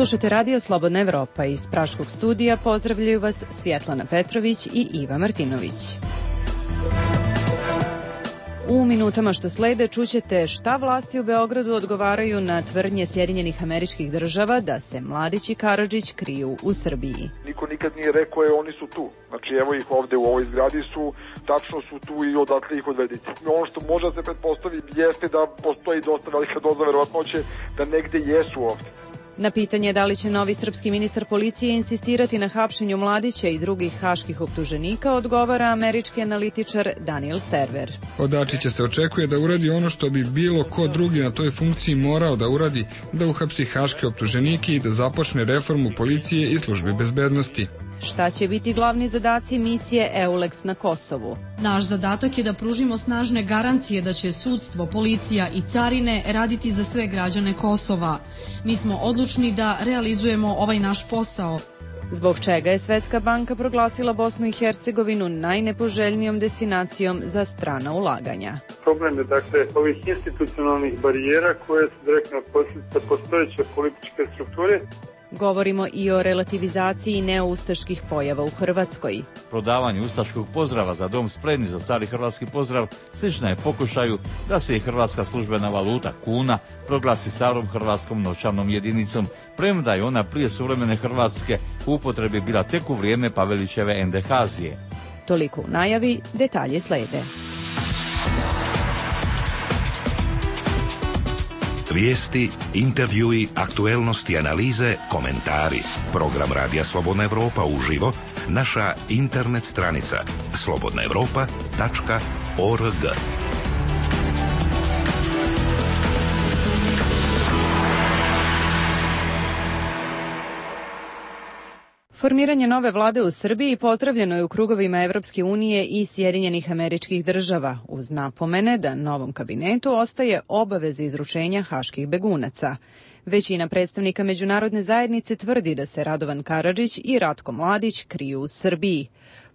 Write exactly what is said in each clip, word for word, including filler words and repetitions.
Slušate Radio Slobodna Evropa. Iz Praškog studija pozdravljaju vas Svjetlana Petrović i Iva Martinović. U minutama što slede čućete šta vlasti u Beogradu odgovaraju na tvrdnje Sjedinjenih Američkih Država da se Mladić i Karadžić kriju u Srbiji. Niko nikad nije rekao je oni su tu. Znači evo ih ovde u ovoj zgradi su, tačno su tu i odatle ih odvedite. Ono što može da se pretpostavi jeste da postoji dosta velika doza verovatnoće da negde jesu ovde. Na pitanje da li će novi srpski ministar policije insistirati na hapšenju Mladića i drugih haških optuženika, odgovara američki analitičar Daniel Server. Od Dačića se očekuje da uradi ono što bi bilo ko drugi na toj funkciji morao da uradi, da uhapsi haške optuženike i da započne reformu policije i službe bezbednosti. Šta će biti glavni zadaci misije EULEX na Kosovu? Naš zadatak je da pružimo snažne garancije da će sudstvo, policija i carine raditi za sve građane Kosova. Mi smo odlučni da realizujemo ovaj naš posao. Zbog čega je Svetska banka proglasila Bosnu i Hercegovinu najnepoželjnijom destinacijom za strana ulaganja? Problem je dakle ovih institucionalnih barijera koje su direktno posljedica postojeće političke strukture. Govorimo i o relativizaciji neoustaških pojava u Hrvatskoj. Prodavanje ustaškog pozdrava za dom spremni za stari hrvatski pozdrav slična je pokušaju da se i hrvatska službena valuta kuna proglasi starom hrvatskom novčanom jedinicom, premda je ona prije suvremene Hrvatske u upotrebi bila tek u vrijeme Pavelićeve endehazije. Toliko u najavi, detalje slede. Vijesti, intervjui, aktuelnosti, analize, komentari. Program Radija Slobodna Evropa uživo, naša internet stranica slobodna evropa tačka org. Formiranje nove vlade u Srbiji pozdravljeno je u krugovima Evropske unije i Sjedinjenih Američkih Država, uz napomene da novom kabinetu ostaje obaveza izručenja haških begunaca. Većina predstavnika međunarodne zajednice tvrdi da se Radovan Karadžić i Ratko Mladić kriju u Srbiji.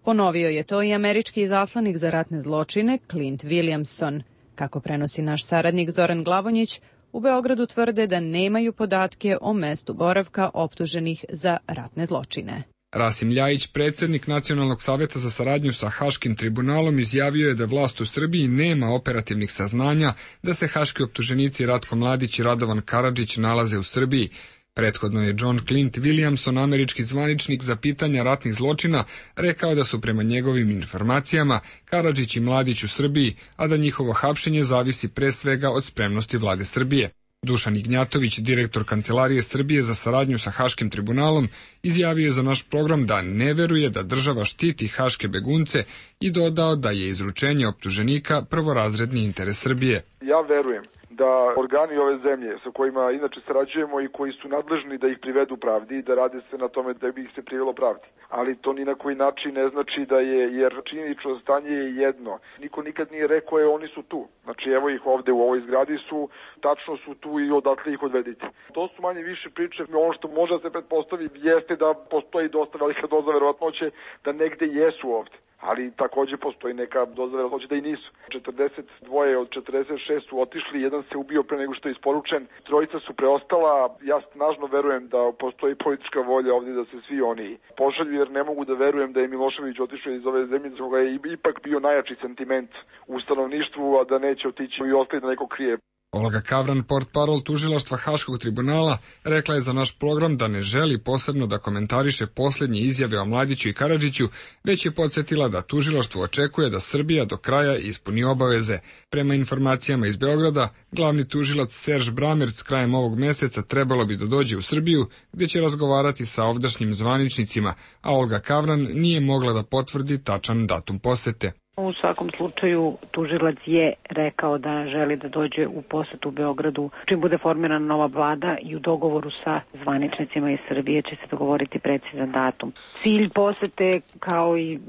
Ponovio je to i američki izaslanik za ratne zločine Clint Williamson. Kako prenosi naš saradnik Zoran Glavonjić, u Beogradu tvrde da nemaju podatke o mestu boravka optuženih za ratne zločine. Rasim Ljajić, predsjednik Nacionalnog savjeta za saradnju sa Haškim tribunalom, izjavio je da vlast u Srbiji nema operativnih saznanja da se haški optuženici Ratko Mladić i Radovan Karadžić nalaze u Srbiji. Prethodno je John Clint Williamson, američki zvaničnik za pitanja ratnih zločina, rekao da su prema njegovim informacijama Karadžić i Mladić u Srbiji, a da njihovo hapšenje zavisi pre svega od spremnosti vlade Srbije. Dušan Ignjatović, direktor Kancelarije Srbije za saradnju sa Haškim tribunalom, izjavio je za naš program da ne veruje da država štiti haške begunce i dodao da je izručenje optuženika prvorazredni interes Srbije. Ja verujem da organi ove zemlje sa kojima inače sarađujemo i koji su nadležni da ih privedu pravdi i da rade se na tome da bi ih se privelo pravdi. Ali to ni na koji način ne znači da je, jer činjenično stanje je jedno. Niko nikad nije rekao je oni su tu. Znači evo ih ovde u ovoj zgradi su, tačno su tu i odatle ih odvedite. To su manje više priče. Ono što može da se pretpostavi jeste da postoji dosta velika doza verovatnoće da negde jesu ovde. Ali također postoji neka doza verovatnoće da i nisu. četrdeset dva od četrdeset šest su otišli, jedan se ubio pre nego što je isporučen, trojica su preostala. Ja snažno verujem da postoji politička volja ovdje da se svi oni pošalju, jer ne mogu da verujem da je Milošević otišao iz ove zemlje, za koga je ipak bio najjači sentiment u stanovništvu, a da neće otići i ostati da neko krije. Olga Kavran, portparol tužilaštva Haškog tribunala, rekla je za naš program da ne želi posebno da komentariše posljednje izjave o Mladiću i Karadžiću, već je podsjetila da tužilaštvo očekuje da Srbija do kraja ispuni obaveze. Prema informacijama iz Beograda, glavni tužilac Serž Bramerc krajem ovog meseca trebalo bi da dođe u Srbiju, gdje će razgovarati sa ovdašnjim zvaničnicima, a Olga Kavran nije mogla da potvrdi tačan datum posete. U svakom slučaju tužilac je rekao da želi da dođe u posetu u Beogradu čim bude formirana nova vlada i u dogovoru sa zvaničnicima iz Srbije će se dogovoriti precizan datum. Cilj posete, kao i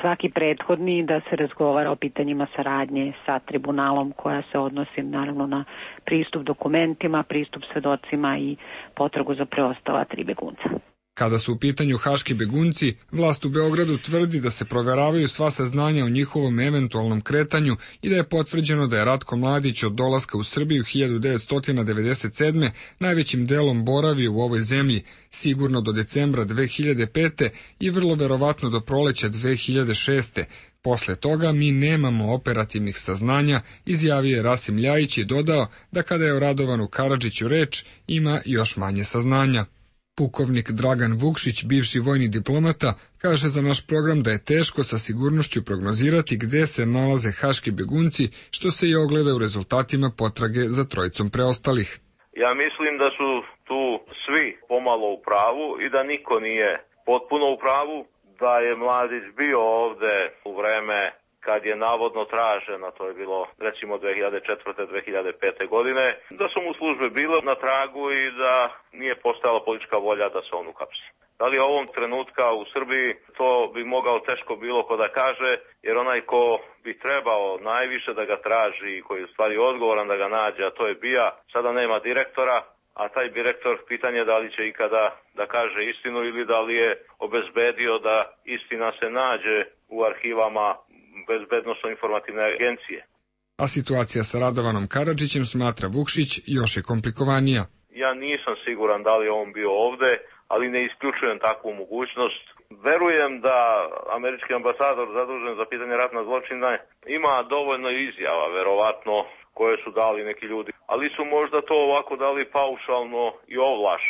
svaki prethodni, da se razgovara o pitanjima saradnje sa tribunalom koja se odnosi naravno na pristup dokumentima, pristup svedocima i potragu za preostala tri begunca. Kada su u pitanju haški begunci, vlast u Beogradu tvrdi da se proveravaju sva saznanja o njihovom eventualnom kretanju i da je potvrđeno da je Ratko Mladić od dolaska u Srbiju hiljadu devetsto devedeset sedme. najvećim delom boravio u ovoj zemlji, sigurno do decembra dve hiljade pete. i vrlo verovatno do proleća dve hiljade šeste. Posle toga mi nemamo operativnih saznanja, izjavio je Rasim Ljajić i dodao da kada je o Radovanu Karadžiću reč, ima još manje saznanja. Pukovnik Dragan Vukšić, bivši vojni diplomata, kaže za naš program da je teško sa sigurnošću prognozirati gde se nalaze haški begunci, što se i ogleda u rezultatima potrage za trojicom preostalih. Ja mislim da su tu svi pomalo u pravu i da niko nije potpuno u pravu, da je Mladić bio ovde u vreme kad je navodno tražen, a to je bilo recimo dve hiljade četvrte. dve hiljade pete. godine, da su mu službe bile na tragu i da nije postojala politička volja da se on uhapsi. Da li ovom trenutka u Srbiji to bi mogao teško bilo ko da kaže, jer onaj ko bi trebao najviše da ga traži i koji je u stvari odgovoran da ga nađe, a to je B I A, sada nema direktora, a taj direktor pitanje da li će ikada da kaže istinu ili da li je obezbedio da istina se nađe u arhivama bezbednosno-informativne agencije. A situacija sa Radovanom Karadžićem, smatra Vukšić, još je komplikovanija. Ja nisam siguran da li je on bio ovde, ali ne isključujem takvu mogućnost. Verujem da američki ambasador zadužen za pitanje ratna zločina ima dovoljno izjava, verovatno, koje su dali neki ljudi, ali su možda to ovako dali paušalno i ovlaš.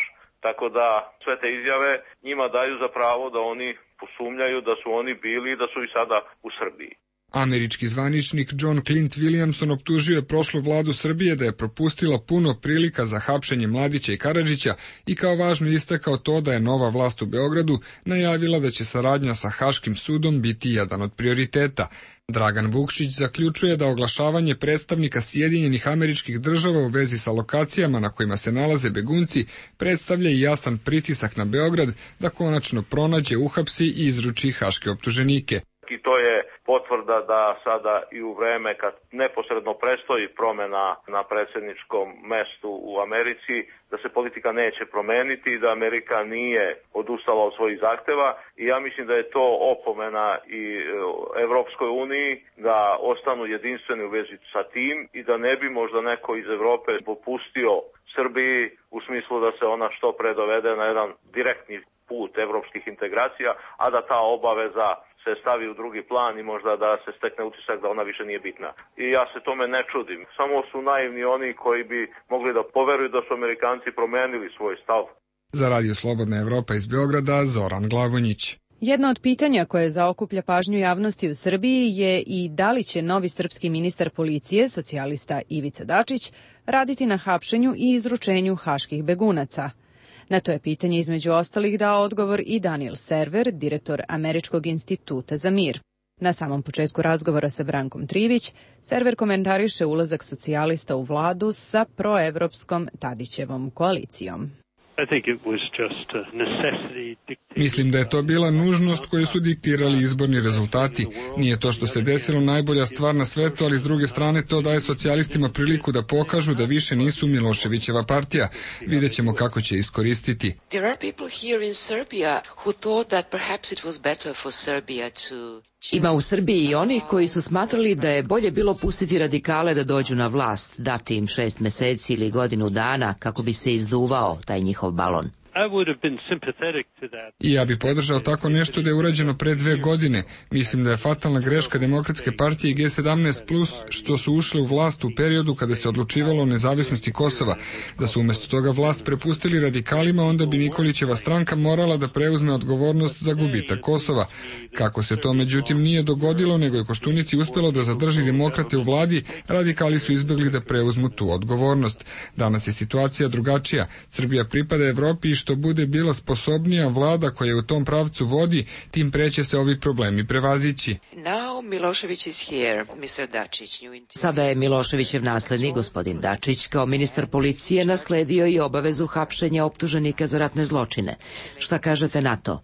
Tako da sve te izjave njima daju za pravo da oni posumnjaju da su oni bili i da su i sada u Srbiji. Američki zvaničnik John Clint Williamson optužio je prošlu vladu Srbije da je propustila puno prilika za hapšenje Mladića i Karadžića i kao važno istakao to da je nova vlast u Beogradu najavila da će saradnja sa Haškim sudom biti jedan od prioriteta. Dragan Vukšić zaključuje da oglašavanje predstavnika Sjedinjenih Američkih Država u vezi sa lokacijama na kojima se nalaze begunci predstavlja i jasan pritisak na Beograd da konačno pronađe, uhapsi i izruči haške optuženike. I to je potvrda da sada i u vreme kad neposredno prestoji promena na predsjedničkom mestu u Americi, da se politika neće promeniti i da Amerika nije odustala od svojih zahteva. I ja mislim da je to opomena i Evropskoj uniji da ostanu jedinstveni u vezi sa tim i da ne bi možda neko iz Evrope popustio Srbiji u smislu da se ona što pre dovede na jedan direktni put evropskih integracija, a da ta obaveza se stavi u drugi plan i možda da se stekne utisak da ona više nije bitna. I ja se tome ne čudim. Samo su naivni oni koji bi mogli da poveruju da su Amerikanci promenili svoj stav. Za Radio Slobodna Evropa iz Beograda, Zoran Glavonjić. Jedno od pitanja koje zaokuplja pažnju javnosti u Srbiji je i da li će novi srpski ministar policije, socijalista Ivica Dačić, raditi na hapšenju i izručenju haških begunaca. Na to je pitanje između ostalih dao odgovor i Daniel Server, direktor Američkog instituta za mir. Na samom početku razgovora sa Brankom Trivić, Server komentariše ulazak socijalista u vladu sa proevropskom Tadićevom koalicijom. Mislim da je to bila nužnost koju su diktirali izborni rezultati. Nije to što se desilo najbolja stvar na svetu, ali s druge strane to daje socijalistima priliku da pokažu da više nisu Miloševićeva partija. Vidjet ćemo kako će iskoristiti. Ima u Srbiji i onih koji su smatrali da je bolje bilo pustiti radikale da dođu na vlast, dati im šest meseci ili godinu dana kako bi se izduvao taj njihov balon. I ja bi podržao tako nešto da je urađeno pre dve godine. Mislim da je fatalna greška Demokratske partije i G sedamnaest plus što su ušle u vlast u periodu kada se odlučivalo o nezavisnosti Kosova. Da su umjesto toga vlast prepustili radikalima, onda bi Nikolićeva stranka morala da preuzme odgovornost za gubitak Kosova. Kako se to međutim nije dogodilo, nego je Koštunici uspelo da zadrži demokrate u vladi, radikali su izbjegli da preuzmu tu odgovornost. Danas je situacija drugačija. Srbija pripada Evropi i što bude bila sposobnija vlada koja u tom pravcu vodi, tim pre će se ovi problemi prevazići. Sada je Miloševićev naslednik, gospodin Dačić, kao ministar policije nasledio i obavezu hapšenja optuženika za ratne zločine. Šta kažete na to?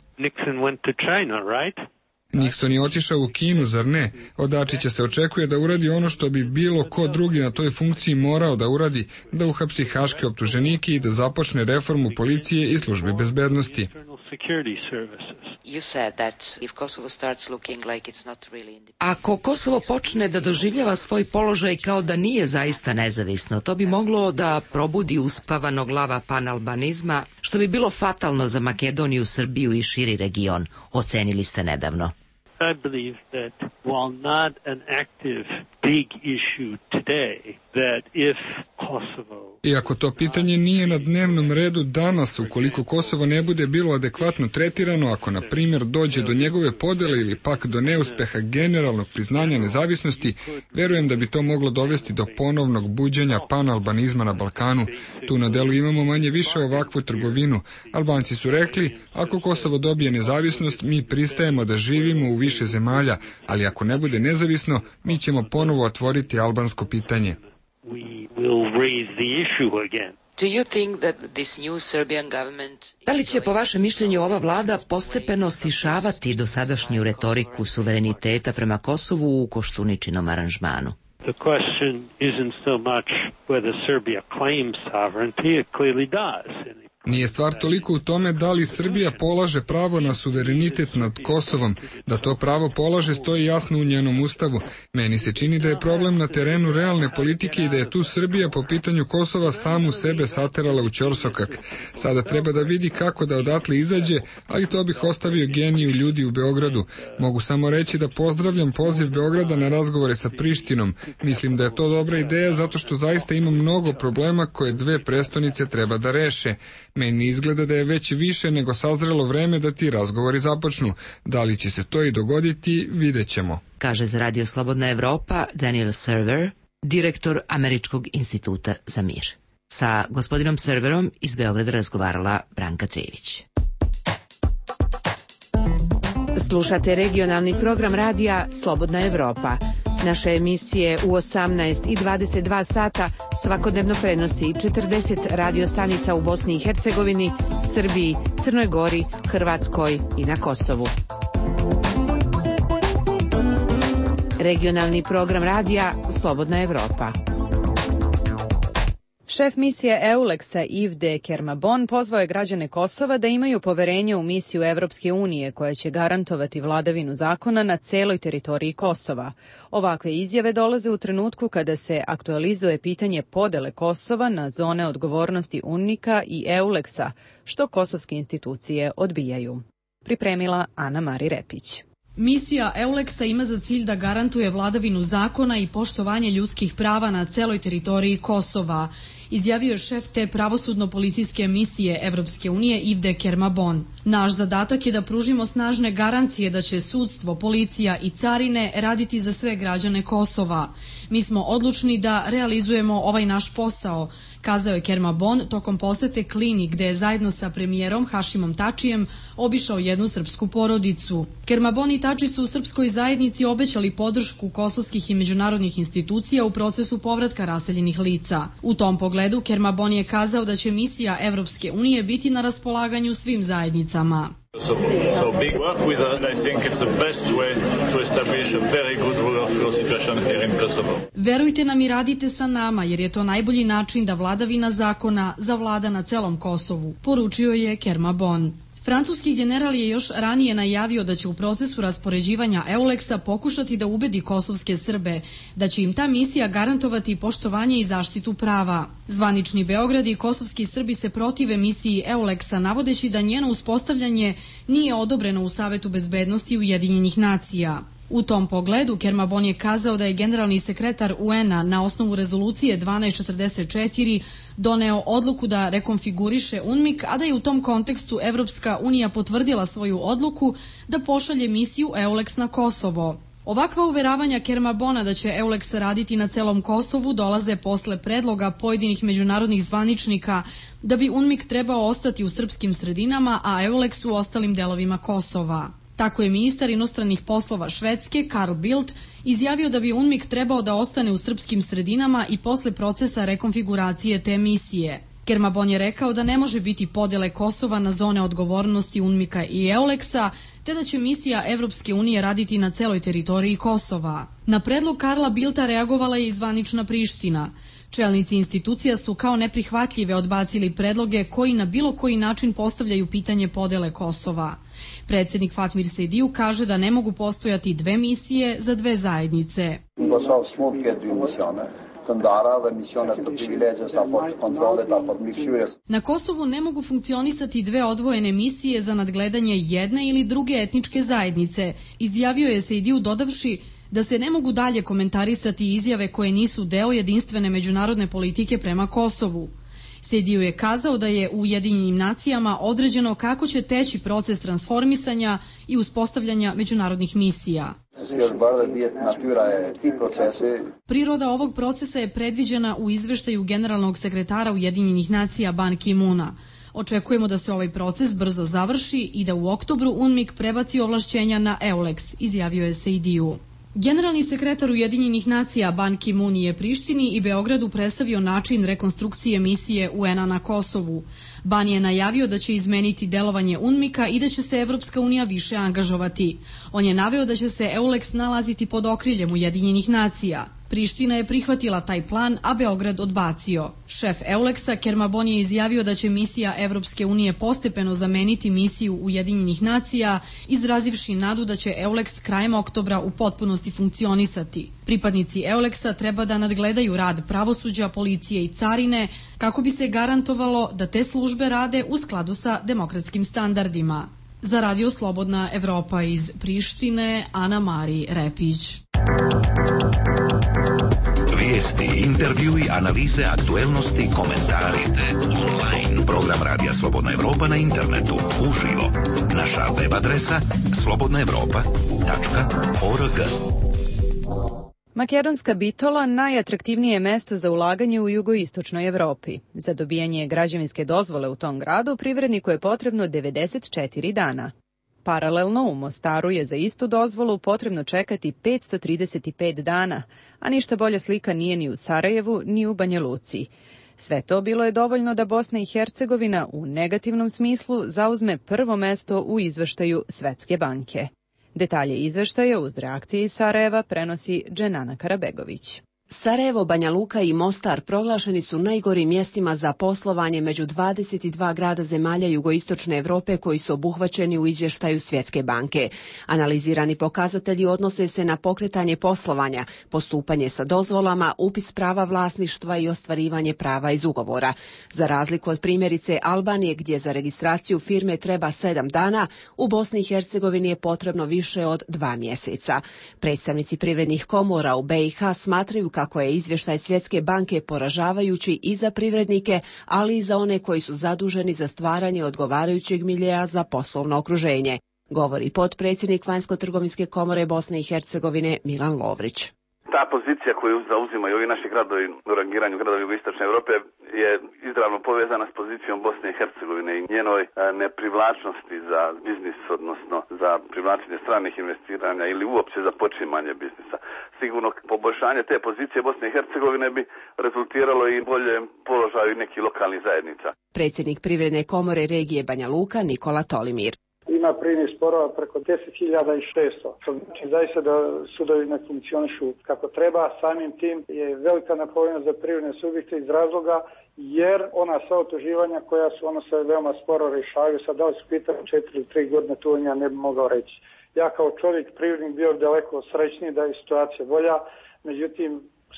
Nixon je otišao u Kinu, zar ne? Od Dačića se očekuje da uradi ono što bi bilo ko drugi na toj funkciji morao da uradi, da uhapsi haške optuženike i da započne reformu policije i službe bezbednosti. security services. You said that if Kosovo starts looking like it's not really independent. Ako Kosovo počne da doživljava svoj položaj kao da nije zaista nezavisno, to bi moglo da probudi uspavanog lava panalbanizma, što bi bilo fatalno za Makedoniju, Srbiju i širi region, ocenili ste nedavno. I believe that while not an active big issue today, that if Kosovo... Iako to pitanje nije na dnevnom redu danas, ukoliko Kosovo ne bude bilo adekvatno tretirano, ako na primjer dođe do njegove podele ili pak do neuspeha generalnog priznanja nezavisnosti, verujem da bi to moglo dovesti do ponovnog buđenja panalbanizma na Balkanu. Tu na delu imamo manje više ovakvu trgovinu. Albanci su rekli, ako Kosovo dobije nezavisnost, mi pristajemo da živimo u više zemalja, ali ako ne bude nezavisno, mi ćemo ponovo otvoriti albansko pitanje. Da li će po vašem mišljenju ova vlada postepeno stišavati dosadašnju retoriku suvereniteta prema Kosovu u Koštuničinom aranžmanu? The question isn't so much whether Serbia claims sovereignty, it clearly does. Nije stvar toliko u tome da li Srbija polaže pravo na suverenitet nad Kosovom. Da to pravo polaže stoji jasno u njenom ustavu. Meni se čini da je problem na terenu realne politike i da je tu Srbija po pitanju Kosova samu sebe saterala u ćorsokak. Sada treba da vidi kako da odatle izađe, ali to bih ostavio geniju ljudi u Beogradu. Mogu samo reći da pozdravljam poziv Beograda na razgovore sa Prištinom. Mislim da je to dobra ideja zato što zaista ima mnogo problema koje dve prestonice treba da reše. Meni izgleda da je već više nego sazrelo vreme da ti razgovori započnu. Da li će se to i dogoditi, vidjet ćemo. Kaže za Radio Slobodna Evropa Daniel Server, direktor Američkog instituta za mir. Sa gospodinom Serverom iz Beograda razgovarala Branka Trijević. Slušate regionalni program radija Slobodna Evropa. Naše emisije u osamnaest i dvadeset dva sata svakodnevno prenosi četrdeset radio stanica u Bosni i Hercegovini, Srbiji, Crnoj Gori, Hrvatskoj i na Kosovu. Regionalni program radija Slobodna Evropa. Šef misije EULEX-a Yves Kermabon pozvao je građane Kosova da imaju poverenje u misiju Evropske unije koja će garantovati vladavinu zakona na celoj teritoriji Kosova. Ovakve izjave dolaze u trenutku kada se aktualizuje pitanje podele Kosova na zone odgovornosti UNMIK-a i EULEX-a, što kosovske institucije odbijaju. Pripremila Ana Mari Repić. Misija EULEX-a ima za cilj da garantuje vladavinu zakona i poštovanje ljudskih prava na celoj teritoriji Kosova, izjavio je šef te pravosudno-policijske misije Evropske unije Yves Kermabon. Naš zadatak je da pružimo snažne garancije da će sudstvo, policija i carine raditi za sve građane Kosova. Mi smo odlučni da realizujemo ovaj naš posao, kazao je Kermabon tokom posete Klini, gde je zajedno sa premijerom Hašimom Tačijem obišao jednu srpsku porodicu. Kermabon i Tači su u srpskoj zajednici obećali podršku kosovskih i međunarodnih institucija u procesu povratka raseljenih lica. U tom pogledu Kermabon je kazao da će misija Evropske unije biti na raspolaganju svim zajednicama. So, so big work with us. I think it's the best way to establish a very good rule of law situation here in Kosovo. Verujte nam i radite sa nama, jer je to najbolji način da vladavina zakona zavlada na celom Kosovu, poručio je Kermabon. Francuski general je još ranije najavio da će u procesu raspoređivanja EULEX-a pokušati da ubedi kosovske Srbe, da će im ta misija garantovati poštovanje i zaštitu prava. Zvanični Beograd i kosovski Srbi se protive misiji EULEX-a, navodeći da njeno uspostavljanje nije odobreno u Savetu bezbednosti Ujedinjenih nacija. U tom pogledu Kermabon je kazao da je generalni sekretar U N-a na osnovu rezolucije dvanaest četrdeset četiri doneo odluku da rekonfiguriše UNMIK, a da je u tom kontekstu Evropska unija potvrdila svoju odluku da pošalje misiju EULEX na Kosovo. Ovakva uveravanja Kermabona da će EULEX raditi na celom Kosovu dolaze posle predloga pojedinih međunarodnih zvaničnika da bi UNMIK trebao ostati u srpskim sredinama, a EULEX u ostalim delovima Kosova. Tako je ministar inostranih poslova Švedske, Carl Bildt, izjavio da bi UNMIK trebao da ostane u srpskim sredinama i posle procesa rekonfiguracije te misije. Kermabon je rekao da ne može biti podele Kosova na zone odgovornosti UNMIK-a i EULEX-a, te da će misija Evropske unije raditi na celoj teritoriji Kosova. Na predlog Karla Bildta reagovala je i zvanična Priština. Čelnici institucija su kao neprihvatljive odbacili predloge koji na bilo koji način postavljaju pitanje podele Kosova. Predsjednik Fatmir Sejdiju kaže da ne mogu postojati dve misije za dve zajednice. Na Kosovu ne mogu funkcionisati dve odvojene misije za nadgledanje jedne ili druge etničke zajednice, izjavio je Sejdiju dodavši da se ne mogu dalje komentarisati izjave koje nisu deo jedinstvene međunarodne politike prema Kosovu. Sejdiju je kazao da je u Ujedinjenim nacijama određeno kako će teći proces transformisanja i uspostavljanja međunarodnih misija. Priroda ovog procesa je predviđena u izveštaju generalnog sekretara Ujedinjenih nacija Ban Ki-moona. Očekujemo da se ovaj proces brzo završi i da u oktobru UNMIK prebaci ovlašćenja na EULEX, izjavio je Sejdiju. Generalni sekretar Ujedinjenih nacija Ban Ki-moon je Prištini i Beogradu predstavio način rekonstrukcije misije U N-a na Kosovu. Ban je najavio da će izmeniti delovanje UNMIK-a i da će se Evropska unija više angažovati. On je naveo da će se EULEX nalaziti pod okriljem Ujedinjenih nacija. Priština je prihvatila taj plan, a Beograd odbacio. Šef EULEX-a Kerma Bon je izjavio da će misija Evropske unije postepeno zameniti misiju Ujedinjenih nacija, izrazivši nadu da će EULEX krajem oktobra u potpunosti funkcionisati. Pripadnici EULEX-a treba da nadgledaju rad pravosuđa, policije i carine, kako bi se garantovalo da te službe rade u skladu sa demokratskim standardima. Za Radio Slobodna Evropa iz Prištine, Ana Mari Repić. Vijesti, intervjui, analize, aktuelnosti, komentari. Online. Program Radija Slobodna Evropa na internetu. Uživo. Naša web adresa slobodna evropa tačka org. Makedonska Bitola najatraktivnije je mesto za ulaganje u jugoistočnoj Evropi. Za dobijanje građevinske dozvole u tom gradu privredniku je potrebno devedeset četiri dana. Paralelno u Mostaru je za istu dozvolu potrebno čekati petsto trideset pet dana, a ništa bolja slika nije ni u Sarajevu ni u Banja Luci. Sve to bilo je dovoljno da Bosna i Hercegovina u negativnom smislu zauzme prvo mesto u izveštaju Svetske banke. Detalje izveštaja uz reakcije iz Sarajeva prenosi Dženana Karabegović. Sarajevo, Banja Luka i Mostar proglašeni su najgorim mjestima za poslovanje među dvadeset dva grada zemalja jugoistočne Evrope koji su obuhvaćeni u izvještaju Svjetske banke. Analizirani pokazatelji odnose se na pokretanje poslovanja, postupanje sa dozvolama, upis prava vlasništva i ostvarivanje prava iz ugovora. Za razliku od primjerice Albanije gdje za registraciju firme treba sedam dana, u Bosni i Hercegovini je potrebno više od dva mjeseca. Predstavnici privrednih komora u B i H smatraju kako je izvještaj Svjetske banke poražavajući i za privrednike, ali i za one koji su zaduženi za stvaranje odgovarajućeg miljeja za poslovno okruženje, govori potpredsjednik Vanjsko-trgovinske komore Bosne i Hercegovine Milan Lovrić. Ta pozicija koju zauzimaju ovi naši gradovi u rangiranju gradova jugoistočne Europe je izravno povezana s pozicijom Bosne i Hercegovine i njenoj neprivlačnosti za biznis, odnosno za privlačenje stranih investiranja ili uopće za počimanje biznisa. Sigurno poboljšanje te pozicije Bosne i Hercegovine bi rezultiralo i bolje položaju nekih lokalnih zajednica. Predsjednik Privredne komore regije Banja Luka Nikola Tolimir. Ima privrednih sporova preko deset hiljada šesto. To znači zaista da sudovi ne funkcionišu kako treba. Samim tim je velika napovednost za privredne subjekte iz razloga jer ona sva otuživanja koja su ono se veoma sporo rješavaju. Sad da li su pitanje četiri ili tri godine, tu ja ne bi mogao reći. Ja kao čovjek privrednik bio daleko srećniji da je situacija bolja. Međutim,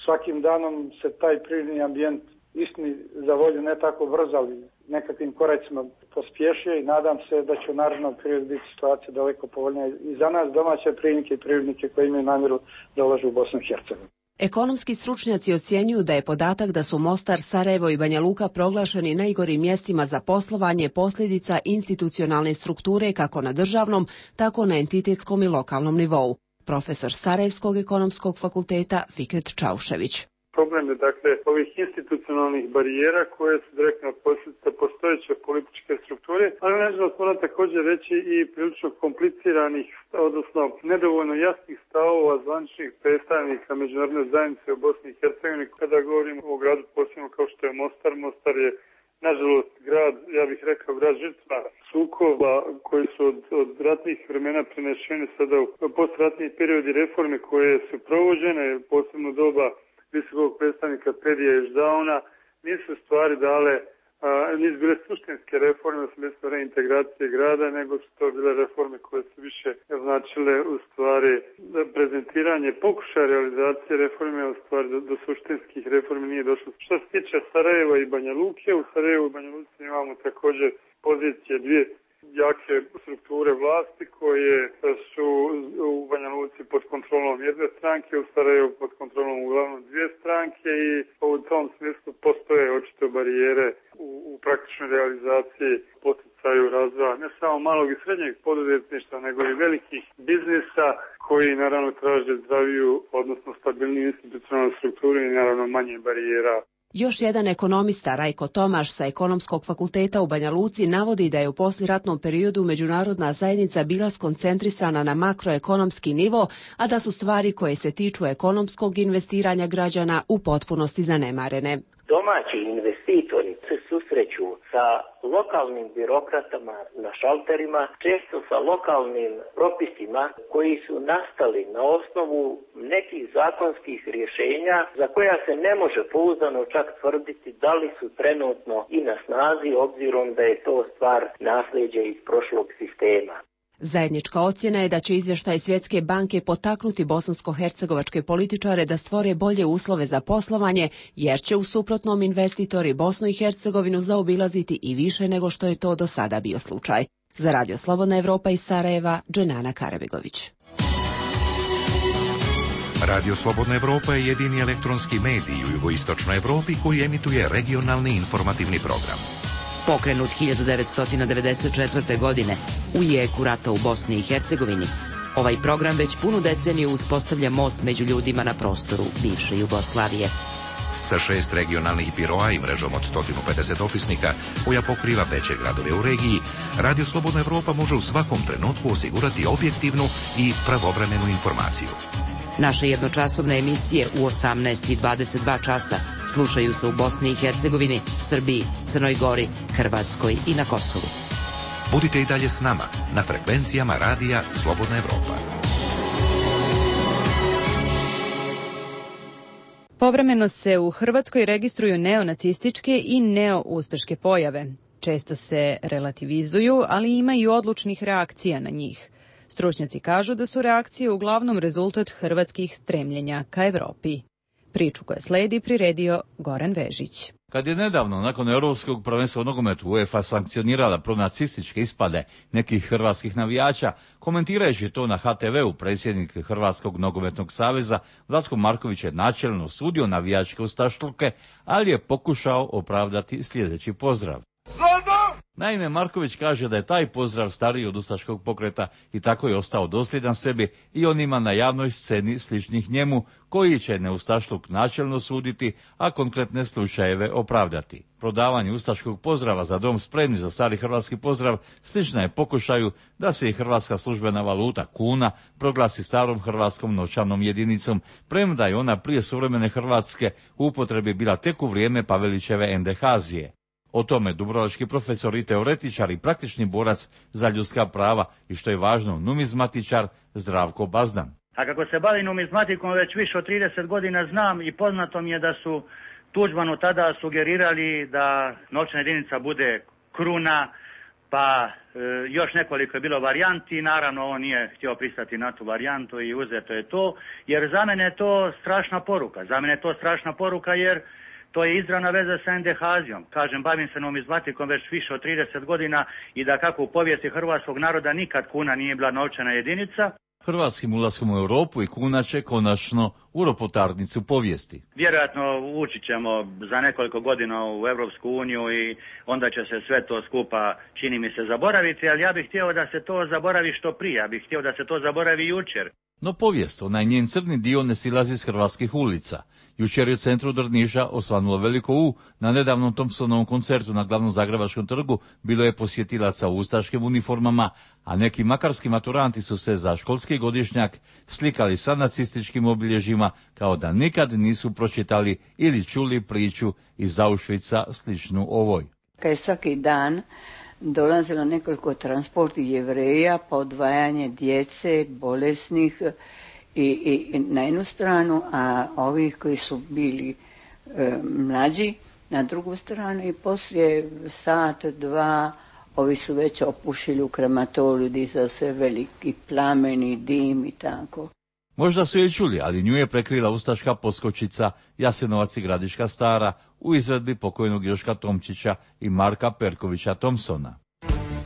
svakim danom se taj privredni ambijent istini za volju ne tako brzo, ali nekakvim koracima pospješuje i nadam se da će u narednom periodu biti situacija daleko povoljnija i za nas domaće privrednike i privrednike koji imaju namjeru da ulažu u Bosnu i Hercegovinu. Ekonomski stručnjaci ocjenjuju da je podatak da su Mostar, Sarajevo i Banja Luka proglašeni najgorim mjestima za poslovanje posljedica institucionalne strukture kako na državnom, tako na entitetskom i lokalnom nivou. Profesor Sarajevskog ekonomskog fakulteta Fikret Čaušević. Problem je dakle ovih institucionalnih barijera koje su direktno posljedica postojeće političke strukture, ali nažalost moram također reći i prilično kompliciranih, odnosno nedovoljno jasnih stavova zvaničnih predstavnika međunarodne zajednice u Bosni i Hercegovini. Kada govorimo o gradu posebno kao što je Mostar, Mostar je nažalost grad, ja bih rekao grad žrtva sukoba koji su od, od ratnih vremena prenešeni sada u postratni periodi reforme koje su provođene, posebno doba visokog predstavnika Pedija i Ždauna, nisu stvari dale, a, nisu bile suštinske reforme u smislu reintegracije grada, nego su to bile reforme koje su više značile u stvari prezentiranje pokušaja realizacije reforme, u stvari do, do suštinskih reformi nije došlo. Što se tiče Sarajeva i Banja Luke, u Sarajevu i Banja Luci imamo također pozicije dvije jake strukture vlasti koje su u Banja Luci pod kontrolom jedne stranke, u Sarajevu pod kontrolom uglavnom dvije stranke i u tom smislu postoje očito barijere u, u praktičnoj realizaciji poticaju razvoja ne samo malog i srednjeg poduzetništva, nego i velikih biznisa koji naravno traže zdraviju, odnosno stabilniju institucionalnu strukturu i naravno manje barijera. Još jedan ekonomista, Rajko Tomaš sa Ekonomskog fakulteta u Banja Luci, navodi da je u posliratnom periodu međunarodna zajednica bila skoncentrisana na makroekonomski nivo, a da su stvari koje se tiču ekonomskog investiranja građana u potpunosti zanemarene. Domaći investitori se susreću sa lokalnim birokratama na šalterima, često sa lokalnim propisima koji su nastali na osnovu nekih zakonskih rješenja za koja se ne može pouzdano čak tvrditi da li su trenutno i na snazi, obzirom da je to stvar nasljeđa iz prošlog sistema. Zajednička ocjena je da će izvještaj Svjetske banke potaknuti bosansko-hercegovačke političare da stvore bolje uslove za poslovanje, jer će u suprotnom investitori Bosnu i Hercegovinu zaobilaziti i više nego što je to do sada bio slučaj. Za Radio Slobodna Evropa iz Sarajeva, Dženana Karabegović. Radio Slobodna Evropa je jedini elektronski medij u jugoistočnoj Evropi koji emituje regionalni informativni program. Pokrenut hiljadu devetsto devedeset četvrte. godine u jeku rata u Bosni i Hercegovini, ovaj program već punu deceniju uspostavlja most među ljudima na prostoru bivše Jugoslavije. Sa šest regionalnih biroa i mrežom od sto pedeset opisnika koja pokriva veće gradove u regiji, Radio Slobodna Evropa može u svakom trenutku osigurati objektivnu i pravovremenu informaciju. Naše jednočasovne emisije u osamnaest i dvadeset dva časa slušaju se u Bosni i Hercegovini, Srbiji, Crnoj Gori, Hrvatskoj i na Kosovu. Budite i dalje s nama na frekvencijama Radija Slobodna Evropa. Povremeno se u Hrvatskoj registruju neonacističke i neoustaške pojave. Često se relativizuju, ali ima i odlučnih reakcija na njih. Stručnjaci kažu da su reakcije uglavnom rezultat hrvatskih stremljenja ka Evropi. Priču koja sledi priredio Goran Vežić. Kad je nedavno, nakon Europskog prvenstva u nogometu, UEFA sankcionirala pronacističke ispade nekih hrvatskih navijača, komentirajući to na ha te veu, predsjednik Hrvatskog nogometnog saveza Vlatko Marković je načelno osudio navijačke ustašluke, ali je pokušao opravdati sljedeći pozdrav. Naime, Marković kaže da je taj pozdrav stariji od ustaškog pokreta i tako je ostao dosljedan sebi i onima na javnoj sceni sličnih njemu, koji će neustašluk načelno suditi, a konkretne slučajeve opravdati. Prodavanje ustaškog pozdrava za dom spremni za stari hrvatski pozdrav slična je pokušaju da se i hrvatska službena valuta kuna proglasi starom hrvatskom novčanom jedinicom, premda je ona prije suvremene Hrvatske u upotrebi bila tek u vrijeme Pavelićeve endehazije. O tome dubrovački profesor i teoretičar i praktični borac za ljudska prava i, što je važno, numizmatičar Zdravko Bazdan. A kako se bavim numizmatikom već više od trideset godina, znam i poznato mi je da su Tuđmanu tada sugerirali da novčana jedinica bude kruna, pa e, još nekoliko je bilo varijanti, naravno on nije htio pristati na tu varijantu i uzeto je to, jer za mene je to strašna poruka, za mene je to strašna poruka jer to je izravna veza sa endehazijom. Kažem, bavim se numizmatikom već više od trideset godina i da kako u povijesti hrvatskog naroda nikad kuna nije bila novčana jedinica. Hrvatskim ulaskom u Europu i kuna će konačno u ropotarnicu povijesti. Vjerojatno ući ćemo za nekoliko godina u Europsku uniju i onda će se sve to skupa, čini mi se, zaboraviti, ali ja bih htio da se to zaboravi što prije, ja bih htio da se to zaboravi jučer. No povijest, onaj njen crni dio, ne silazi iz hrvatskih ulica. Jučer je u centru Drniša osvanulo veliko U. Na nedavnom Thompsonovom koncertu na glavnom Zagrebačkom trgu bilo je posjetilaca u ustaškim uniformama, a neki makarski maturanti su se za školski godišnjak slikali sa nacističkim obilježjima kao da nikad nisu pročitali ili čuli priču iz Auschwitza sličnu ovoj. Kad je svaki dan dolazilo nekoliko transporti Jevreja, pa odvajanje djece, bolesnih i, i na jednu stranu, a ovi koji su bili e, mlađi na drugu stranu i poslije sat, dva, ovi su već opušili u krematoriju, dizao se veliki plameni, dim i tako. Možda su je čuli, ali nju je prekrila ustaška poskočica Jasenovac i Gradiška Stara u izvedbi pokojnog Joška Tomčića i Marka Perkovića Thompsona.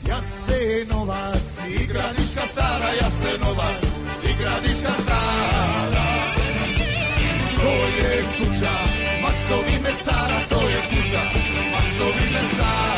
Jasenovac i Gradiška Stara, Jasenovac i Gradiška Stara, to je kuća Maksovi mesara, to je kuća Maksovi mesara.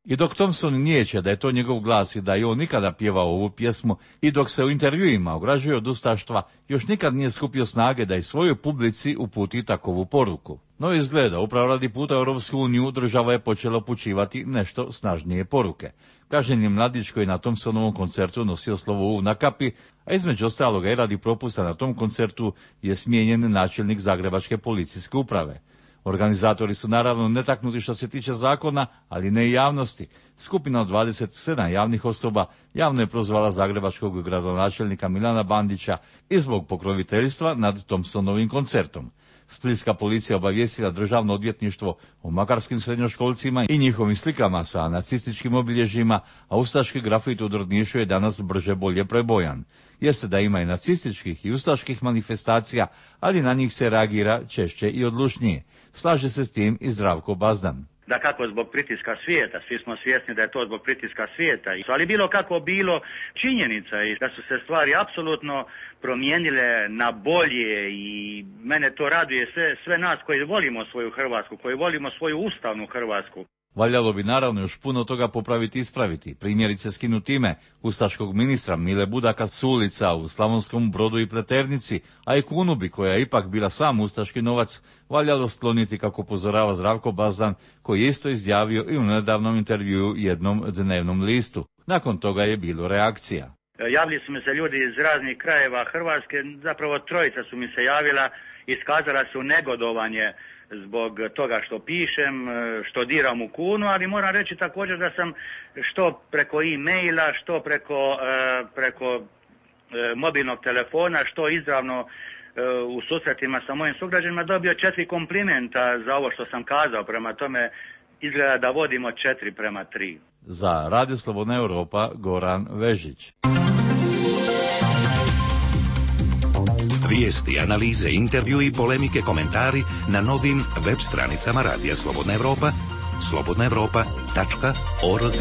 I dok Thompson nijeće da je to njegov glas i da je on nikada pjevao ovu pjesmu i dok se u intervjuima ograđuje od ustaštva, još nikad nije skupio snage da i svojoj publici uputi takovu poruku. No izgleda, upravo radi puta u Europsku uniju država je počela upućivati nešto snažnije poruke. Kažnjen je mladić koji na Thompsonovom koncertu nosio slovo U na kapi, a između ostaloga i radi propusta na tom koncertu je smijenjen načelnik Zagrebačke policijske uprave. Organizatori su naravno netaknuti što se tiče zakona, ali ne i javnosti. Skupina od dvadeset sedam javnih osoba javno je prozvala zagrebačkog gradonačelnika Milana Bandića i zbog pokroviteljstva nad Thompsonovim koncertom. Splitska policija obavijestila državno odvjetništvo o makarskim srednjoškolcima i njihovim slikama sa nacističkim obilježjima, a ustaški grafit u Drnišu je danas brže bolje prebojan. Jeste da ima i nacističkih i ustaških manifestacija, ali na njih se reagira češće i odlučnije. Slaže se s tim i Zdravko Bazdan. Da kako zbog pritiska svijeta, svi smo svjesni da je to zbog pritiska svijeta, ali bilo kako bilo, činjenica je da su se stvari apsolutno promijenile na bolje i mene to raduje sve, sve nas koji volimo svoju Hrvatsku, koji volimo svoju ustavnu Hrvatsku. Valjalo bi naravno još puno toga popraviti i ispraviti, primjerice skinuti ime ustaškog ministra Mile Budaka s ulica u Slavonskom Brodu i Pleternici, a i kunu bi, koja je ipak bila sam ustaški novac, valjalo skloniti, kako upozorava Zdravko Bazdan, koji je isto izjavio i u nedavnom intervjuu jednom dnevnom listu. Nakon toga je bilo reakcija. Javili su mi se ljudi iz raznih krajeva Hrvatske, zapravo trojica su mi se javila, iskazala su negodovanje zbog toga što pišem, što diram u kunu, ali moram reći također da sam što preko e-maila, što preko, preko mobilnog telefona, što izravno u susretima sa mojim sugrađanima dobio četiri komplimenta za ovo što sam kazao, prema tome izgleda da vodimo četiri prema tri. Za Radio Slobodna Europa, Goran Vežić. Vijesti, analize, intervju i polemike, komentari na novim web stranicama Radija Slobodna Europa, slobodna europa tačka org.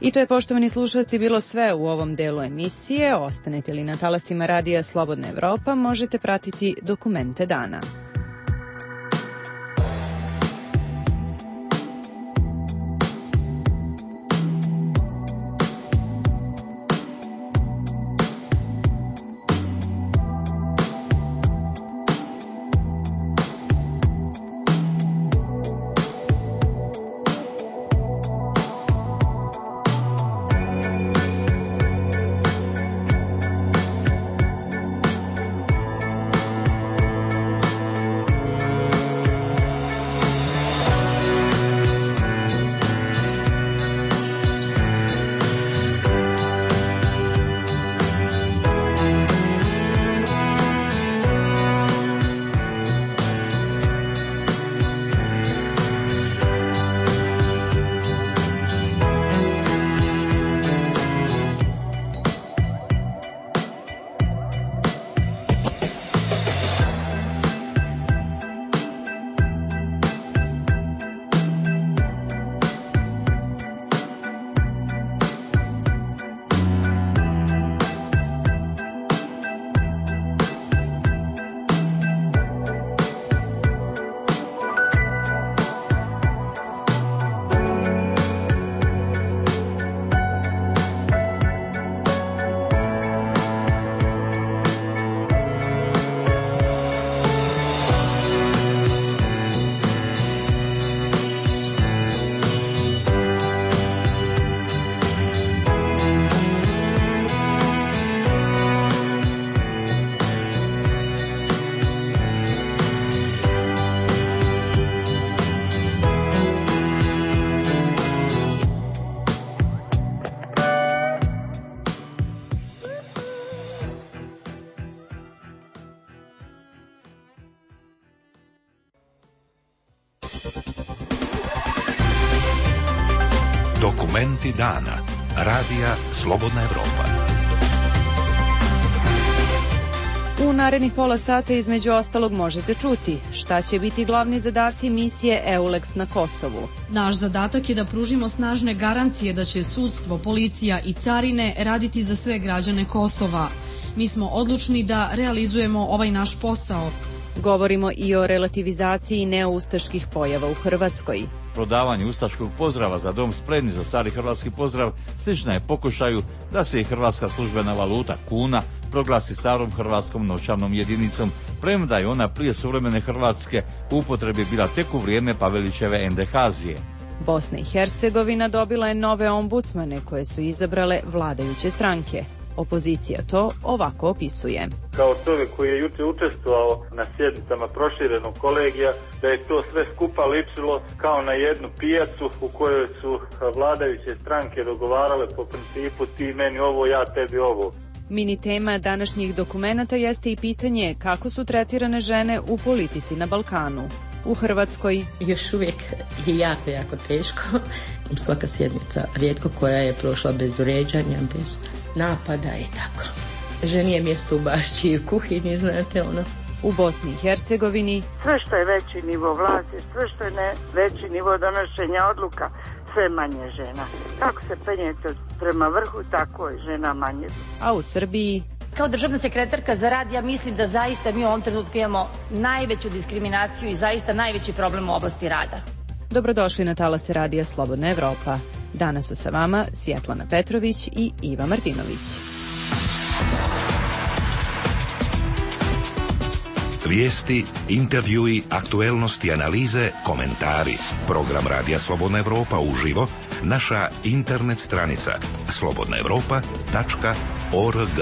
I to je, poštovani slušalci, bilo sve u ovom delu emisije. Ostanete li na talasima Radija Slobodna Europa, možete pratiti dokumente dana. Dokumenti dana. Radija Slobodna Evropa. U narednih pola sata između ostalog možete čuti šta će biti glavni zadaci misije EULEX na Kosovu. Naš zadatak je da pružimo snažne garancije da će sudstvo, policija i carine raditi za sve građane Kosova. Mi smo odlučni da realizujemo ovaj naš posao. Govorimo i o relativizaciji neoustaških pojava u Hrvatskoj. Prodavanje ustaškog pozdrava za dom spremni za stari hrvatski pozdrav slična je pokušaju da se i hrvatska službena valuta kuna proglasi starom hrvatskom novčanom jedinicom, premda je ona prije suvremene Hrvatske u upotrebi bila tek u vrijeme Pavelićeve endehazije. Bosna i Hercegovina dobila je nove ombudsmane koje su izabrale vladajuće stranke. Opozicija to ovako opisuje. Kao čovjek koji je jučer učestvovao na sjednicama proširenog kolegija, da je to sve skupa ličilo kao na jednu pijacu u kojoj su vladajuće stranke dogovarale po principu ti meni ovo, ja tebi ovo. Mini tema današnjih dokumenata jeste i pitanje kako su tretirane žene u politici na Balkanu. U Hrvatskoj još uvijek je jako, jako teško. Svaka sjednica, rijetko koja je prošla bez uređanja, bez napada i tako. Ženi je mjesto u bašći i u kuhinji, znate ono. U Bosni i Hercegovini sve što je veći nivo vlasti, sve što je ne, veći nivo donošenja odluka, sve manje žena. Kako se penjete prema vrhu, tako je žena manje. A u Srbiji kao državna sekretarka za rad, ja mislim da zaista mi u ovom trenutku imamo najveću diskriminaciju i zaista najveći problem u oblasti rada. Dobrodošli na talase radija Slobodna Evropa. Danas su sa vama Svjetlana Petrović i Iva Martinović. Vijesti, intervjui, aktuelnosti, analize, komentari. Program Radija Slobodna Evropa uživo, naša internet stranica slobodna evropa tačka org.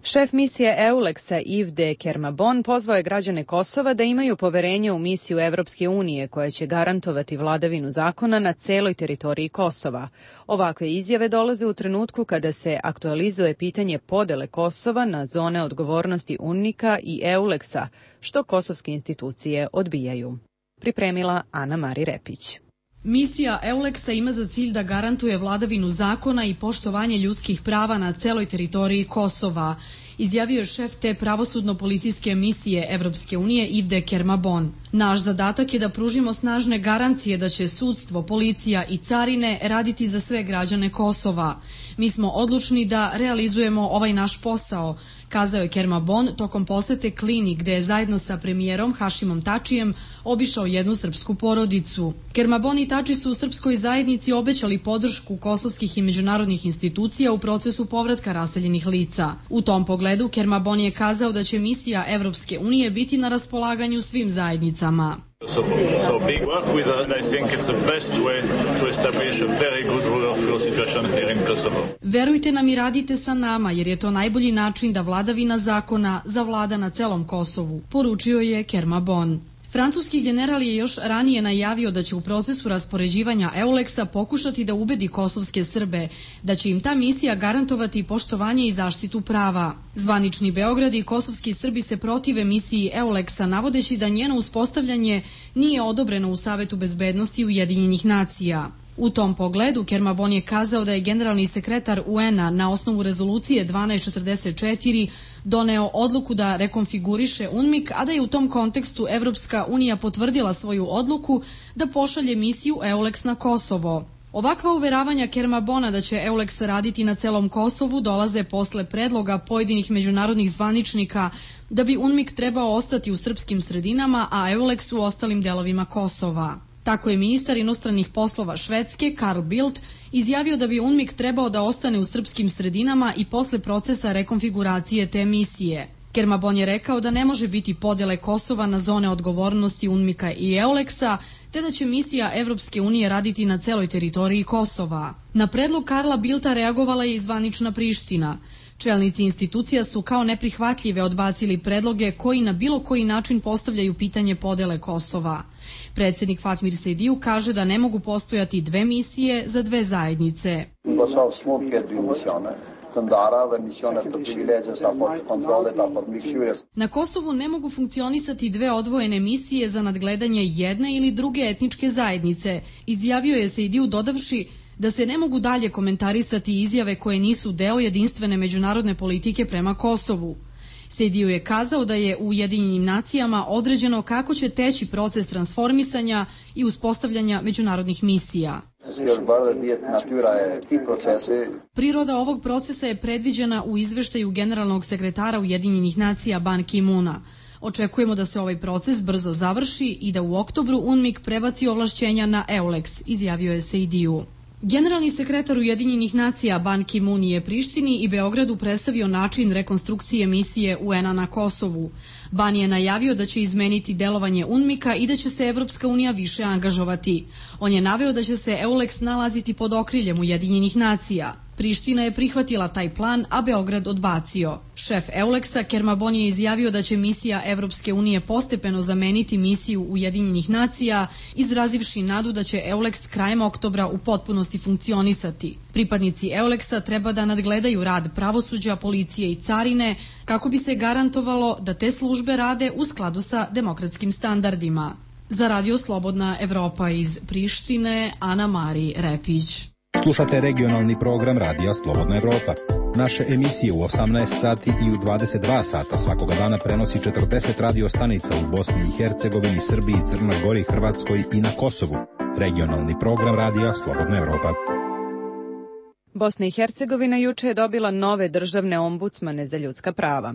Šef misije EULEX-a Yves de Kermabon pozvao je građane Kosova da imaju poverenje u misiju Evropske unije koja će garantovati vladavinu zakona na celoj teritoriji Kosova. Ovakve izjave dolaze u trenutku kada se aktualizuje pitanje podele Kosova na zone odgovornosti UNMIK-a i EULEX-a, što kosovske institucije odbijaju. Pripremila Ana Mari Repić. Misija EULEX-a ima za cilj da garantuje vladavinu zakona i poštovanje ljudskih prava na celoj teritoriji Kosova, izjavio je šef te pravosudno-policijske misije Evropske unije Yves de Kermabon. Naš zadatak je da pružimo snažne garancije da će sudstvo, policija i carine raditi za sve građane Kosova. Mi smo odlučni da realizujemo ovaj naš posao, kazao je Kermabon tokom posete Klini gde je zajedno sa premijerom Hašimom Tačijem obišao jednu srpsku porodicu. Kermabon i Tači su u srpskoj zajednici obećali podršku kosovskih i međunarodnih institucija u procesu povratka raseljenih lica. U tom pogledu Kermabon je kazao da će misija Evropske unije biti na raspolaganju svim zajednicama. So, so big work with us, I think it's the best way to establish a very good rule of law situation here in Kosovo. Verujte nam i radite sa nama, jer je to najbolji način da vladavina zakona zavlada na celom Kosovu, poručio je Kermabon. Francuski general je još ranije najavio da će u procesu raspoređivanja EULEX-a pokušati da ubedi kosovske Srbe, da će im ta misija garantovati poštovanje i zaštitu prava. Zvanični Beograd i kosovski Srbi se protive misiji EULEX-a, navodeći da njeno uspostavljanje nije odobreno u Savetu bezbednosti Ujedinjenih nacija. U tom pogledu Kermabon je kazao da je generalni sekretar U N-a na osnovu rezolucije dvanaest četrdeset četiri doneo odluku da rekonfiguriše UNMIK, a da je u tom kontekstu Evropska unija potvrdila svoju odluku da pošalje misiju EULEX na Kosovo. Ovakva uveravanja Kermabona da će EULEX raditi na celom Kosovu dolaze posle predloga pojedinih međunarodnih zvaničnika da bi UNMIK trebao ostati u srpskim sredinama, a EULEX u ostalim delovima Kosova. Tako je ministar inostranih poslova Švedske, Carl Bildt, izjavio da bi UNMIK trebao da ostane u srpskim sredinama i posle procesa rekonfiguracije te misije. Kermabon je rekao da ne može biti podele Kosova na zone odgovornosti UNMIK-a i EULEX-a, te da će misija Evropske unije raditi na celoj teritoriji Kosova. Na predlog Karla Bildta reagovala je i zvanična Priština. Čelnici institucija su kao neprihvatljive odbacili predloge koji na bilo koji način postavljaju pitanje podele Kosova. Predsjednik Fatmir Sejdiju kaže da ne mogu postojati dve misije za dve zajednice. Na Kosovu ne mogu funkcionisati dve odvojene misije za nadgledanje jedne ili druge etničke zajednice, izjavio je Sejdiju dodavši da se ne mogu dalje komentarisati izjave koje nisu deo jedinstvene međunarodne politike prema Kosovu. Sejdiju je kazao da je u Ujedinjenim nacijama određeno kako će teći proces transformisanja i uspostavljanja međunarodnih misija. Priroda ovog procesa je predviđena u izveštaju generalnog sekretara Ujedinjenih nacija Ban Ki-moona. Očekujemo da se ovaj proces brzo završi i da u oktobru UNMIK prebaci ovlašćenja na EULEX, izjavio je Sejdiju. Generalni sekretar Ujedinjenih nacija Ban Ki-moon je Prištini i Beogradu predstavio način rekonstrukcije misije U N-a na Kosovu. Ban je najavio da će izmeniti delovanje UNMIK-a i da će se Evropska unija više angažovati. On je naveo da će se EULEX nalaziti pod okriljem Ujedinjenih nacija. Priština je prihvatila taj plan, a Beograd odbacio. Šef EULEX-a Kerma Bon je izjavio da će misija Evropske unije postepeno zameniti misiju Ujedinjenih nacija, izrazivši nadu da će EULEX krajem oktobra u potpunosti funkcionisati. Pripadnici EULEX-a treba da nadgledaju rad pravosuđa, policije i carine, kako bi se garantovalo da te službe rade u skladu sa demokratskim standardima. Za Radio Slobodna Evropa iz Prištine, Ana Mari Repić. Slušate regionalni program Radija Slobodna Evropa. Naše emisije u osamnaest sati i u dvadeset dva sata svakoga dana prenosi četrdeset radio stanica u Bosni i Hercegovini, Srbiji, Crnoj Gori, Hrvatskoj i na Kosovu. Regionalni program Radija Slobodna Evropa. Bosna i Hercegovina juče je dobila nove državne ombudsmane za ljudska prava.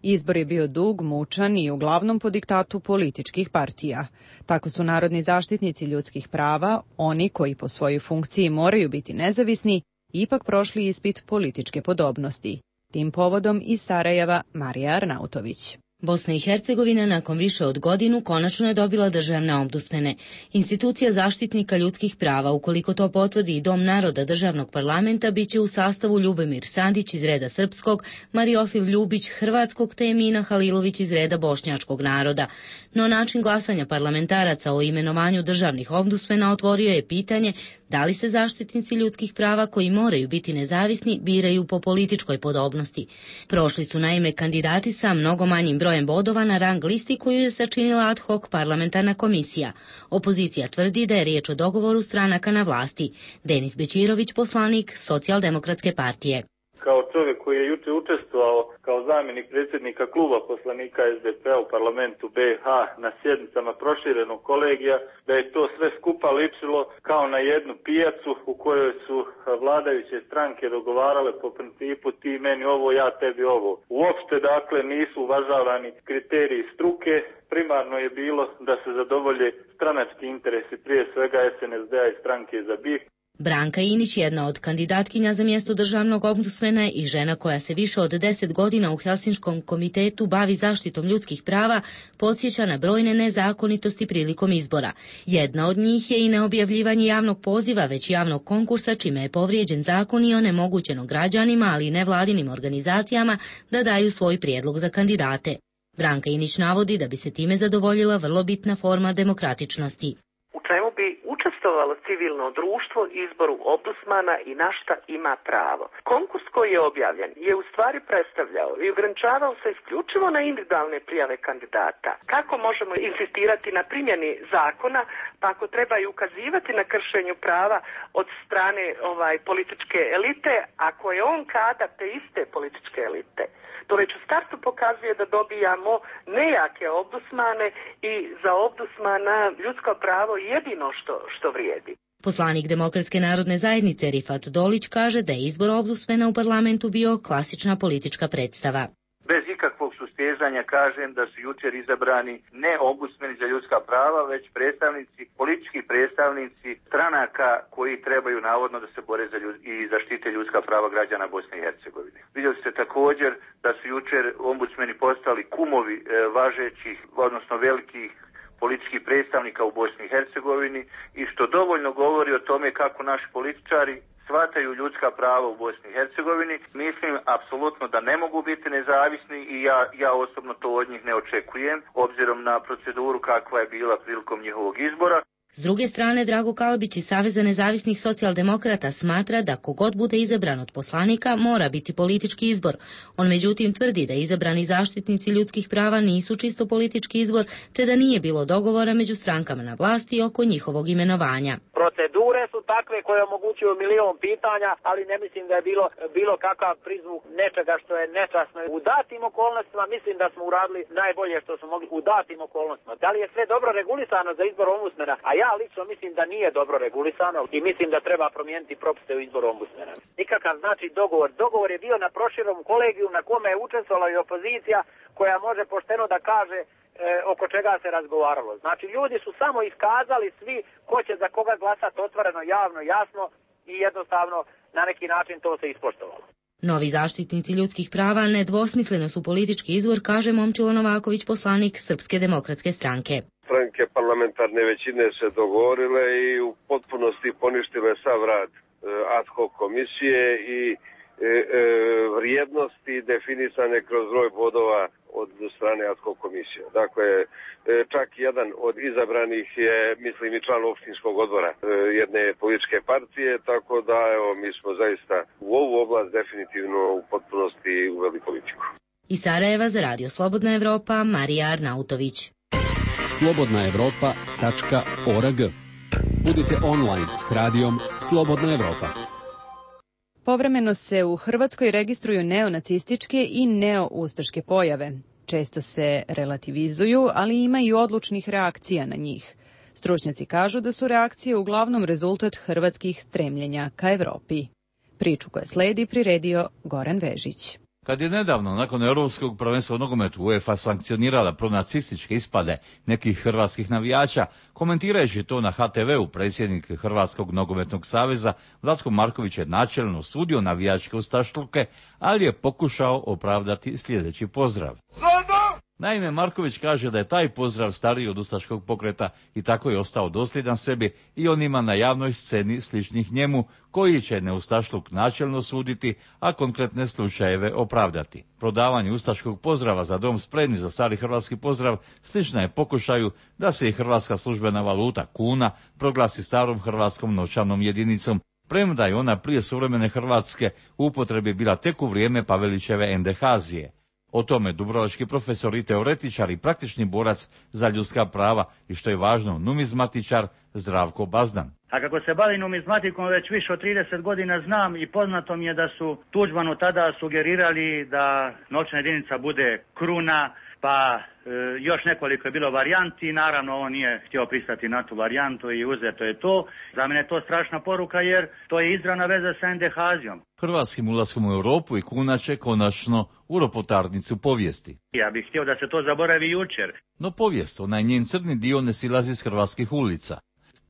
Izbor je bio dug, mučan i uglavnom po diktatu političkih partija. Tako su narodni zaštitnici ljudskih prava, oni koji po svojoj funkciji moraju biti nezavisni, ipak prošli ispit političke podobnosti. Tim povodom iz Sarajeva Marija Arnautović. Bosna i Hercegovina nakon više od godinu konačno je dobila državne ombudsmene. Institucija zaštitnika ljudskih prava, ukoliko to potvrdi i Dom naroda državnog parlamenta, biće u sastavu Ljubomir Sandić iz reda srpskog, Mariofil Ljubić hrvatskog te Emina Halilović iz reda bošnjačkog naroda. No način glasanja parlamentaraca o imenovanju državnih ombudsmena otvorio je pitanje da li se zaštitnici ljudskih prava koji moraju biti nezavisni biraju po političkoj podobnosti. Prošli su naime kandidati sa mnogo manjim brojem bodova na rang listi koju je sačinila ad hoc parlamentarna komisija. Opozicija tvrdi da je riječ o dogovoru stranaka na vlasti. Denis Bećirović, poslanik Socijaldemokratske partije. Kao čovjek koji je juče učestvovao kao zamjenik predsjednika kluba poslanika S D P-a u parlamentu B iH na sjednicama proširenog kolegija, da je to sve skupa ličilo kao na jednu pijacu u kojoj su vladajuće stranke dogovarale po principu ti meni ovo, ja tebi ovo. Uopšte dakle nisu uvažavani kriteriji struke, primarno je bilo da se zadovolje stranački interesi, prije svega S N S D-a i stranke za B I H. Branka Inić, jedna od kandidatkinja za mjesto državnog ombudsmena i žena koja se više od deset godina u Helsinškom komitetu bavi zaštitom ljudskih prava, podsjeća na brojne nezakonitosti prilikom izbora. Jedna od njih je i neobjavljivanje javnog poziva, već javnog konkursa, čime je povrijeđen zakon i onemogućeno građanima, ali i nevladinim organizacijama da daju svoj prijedlog za kandidate. Branka Inić navodi da bi se time zadovoljila vrlo bitna forma demokratičnosti. U čemu bi učestvovalo civilno društvo izboru ombudsmana i na šta ima pravo. Konkurs koji je objavljen je u stvari predstavljao i ograničavao se isključivo na individualne prijave kandidata. Kako možemo insistirati na primjeni zakona, pa ako treba i ukazivati na kršenju prava od strane ovaj političke elite, ako je on kadar te iste političke elite. To već u startu pokazuje da dobijamo nejake ombudsmane i za ombudsmana ljudsko pravo jedino što, što vrijedi. Poslanik Demokratske narodne zajednice Rifat Dolić kaže da je izbor ombudsmena u parlamentu bio klasična politička predstava. Bez ikakvog sustezanja kažem da su jučer izabrani ne ombudsmeni za ljudska prava, već predstavnici, politički predstavnici stranaka koji trebaju navodno da se bore za ljud, i zaštite ljudska prava građana Bosne i Hercegovine. Vidjeli ste također da su jučer ombudsmeni postali kumovi e, važećih, odnosno velikih političkih predstavnika u Bosni i Hercegovini i što dovoljno govori o tome kako naši političari shvataju ljudska prava u Bosni i Hercegovini. Mislim apsolutno da ne mogu biti nezavisni i ja, ja osobno to od njih ne očekujem, obzirom na proceduru kakva je bila prilikom njihovog izbora. S druge strane, Drago Kalabić iz Saveza nezavisnih socijaldemokrata smatra da kogod bude izabran od poslanika mora biti politički izbor. On međutim tvrdi da izabrani zaštitnici ljudskih prava nisu čisto politički izbor, te da nije bilo dogovora među strankama na vlasti oko njihovog imenovanja. Procedure su takve koje omogućuju milion pitanja, ali ne mislim da je bilo bilo kakav prizvuk nečega što je nečasno. U datim okolnostima mislim da smo uradili najbolje što smo mogli u datim okolnostima. Da li je sve dobro regulisano za izbor ombudsmena? A ja lično mislim da nije dobro regulisano i mislim da treba promijeniti propise u izboru ombudsmena. Nikakav znači dogovor. Dogovor je bio na proširenom kolegiju na kome je učestvovala i opozicija koja može pošteno da kaže e, oko čega se razgovaralo. Znači ljudi su samo iskazali svi ko će za koga glasati otvoreno, javno, jasno i jednostavno na neki način to se ispoštovalo. Novi zaštitnici ljudskih prava nedvosmisleno su politički izvor, kaže Momčilo Novaković, poslanik Srpske demokratske stranke. Stranke parlamentarne većine se dogovorile i u potpunosti poništile sav rad ad hoc komisije i e, e, vrijednosti definisane kroz broj bodova od strane ad hoc komisije. Dakle, e, čak jedan od izabranih je, mislim, i član opštinskog odbora e, jedne političke partije, tako da evo, mi smo zaista u ovu oblast definitivno u potpunosti uveli politiku. Iz Sarajeva za Radio Slobodna Evropa, Marija Arnautović. slobodna evropa tačka org. Budite online s radijom Slobodna Evropa. Povremeno se u Hrvatskoj registruju neonacističke i neoustaške pojave. Često se relativizuju, ali ima i odlučnih reakcija na njih. Stručnjaci kažu da su reakcije uglavnom rezultat hrvatskih stremljenja ka Evropi. Priču koja sledi priredio Goran Vežić. Kad je nedavno, nakon Europskog prvenstva u nogometu, UEFA sankcionirala pronacističke ispade nekih hrvatskih navijača, komentirajući to na ha te veu, predsjednik Hrvatskog nogometnog saveza Vlatko Marković je načelno osudio navijačke ustašluke, ali je pokušao opravdati sljedeći pozdrav. Naime, Marković kaže da je taj pozdrav stariji od ustaškog pokreta i tako je ostao dosljedan sebi i onima na javnoj sceni sličnih njemu, koji će neustašluk načelno suditi, a konkretne slučajeve opravdati. Prodavanje ustaškog pozdrava za dom spremni za stari hrvatski pozdrav slična je pokušaju da se i hrvatska službena valuta kuna proglasi starom hrvatskom novčanom jedinicom, premda je ona prije suvremene Hrvatske u upotrebi bila tek u vrijeme Pavelićeve endehazije. O tome dubrovački profesor i teoretičar i praktični borac za ljudska prava i, što je važno, numizmatičar Zdravko Bazdan. A kako se bavim numizmatikom već više od trideset godina, znam i poznato mi je da su Tuđmanu tada sugerirali da novčana jedinica bude kruna, pa e, još nekoliko je bilo varijanti, naravno on nije htio pristati na tu varijantu i uzeto je to. Za mene je to strašna poruka jer to je izravna veza sa endehazijom. Hrvatskim ulaskom u Europu i kuna će konačno u ropotarnicu povijesti. Ja bih htio da se to zaboravi jučer. No povijest, onaj njen crni dio ne silazi s hrvatskih ulica.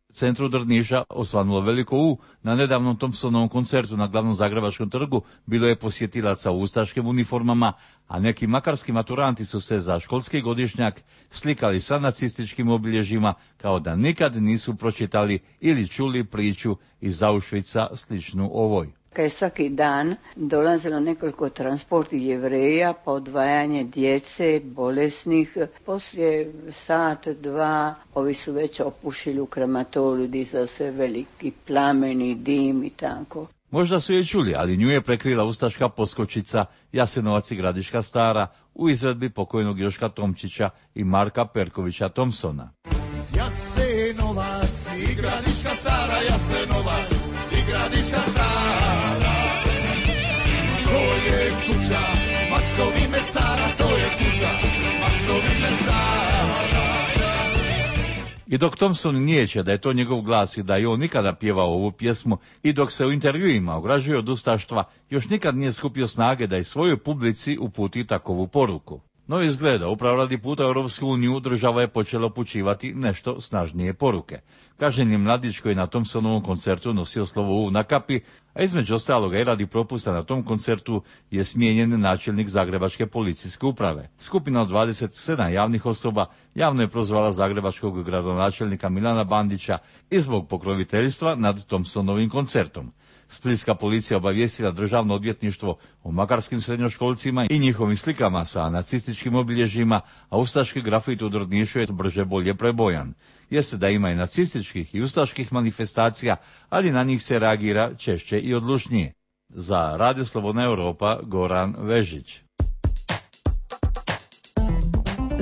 U centru Drniša osvanulo veliko U, na nedavnom Thompsonovom koncertu na glavnom Zagrebačkom trgu bilo je posjetilaca u ustaškim uniformama, a neki makarski maturanti su se za školski godišnjak slikali sa nacističkim obilježjima kao da nikad nisu pročitali ili čuli priču iz Auschwitza sličnu ovoj. Kad je svaki dan dolazilo nekoliko transporti Jevreja, pa odvajanje djece, bolesnih. Poslije sat, dva, ovi su već opušili u krematoriju, dizao se veliki plameni, dim i tako. Možda su je čuli, ali nju je prekrila ustaška poskočica Jasenovac i Gradiška Stara u izvedbi pokojnog Joška Tomčića i Marka Perkovića Thompsona. Jasenovac i Gradiška Stara, Jasenovac i Gradiška Stara. To je kuća Maksovi mesara, to je kuća Maksovi mesara. I dok Thompson nijeće da je to njegov glas i da je on nikada pjevao ovu pjesmu i dok se u intervjuima ograđuje od ustaštva, još nikad nije skupio snage da i svojoj publici uputi takovu poruku. No izgleda, upravo radi puta u Europsku uniju država je počela upućivati nešto snažnije poruke. Kažnjen je mladić koji na Thompsonovom koncertu nosio slovo U na kapi, a između ostaloga i radi propusta na tom koncertu je smijenjen načelnik Zagrebačke policijske uprave. Skupina od dvadeset sedam javnih osoba javno je prozvala zagrebačkog gradonačelnika Milana Bandića i zbog pokroviteljstva nad Thompsonovim koncertom. Splitska policija obavijestila državno odvjetništvo o makarskim srednjoškolcima i njihovim slikama sa nacističkim obilježjima, a ustaški grafit u Drnišu je brže bolje prebojan. Jeste da ima i nacističkih i ustaških manifestacija, ali na njih se reagira češće i odlučnije. Za Radio Slobodna Europa, Goran Vežić.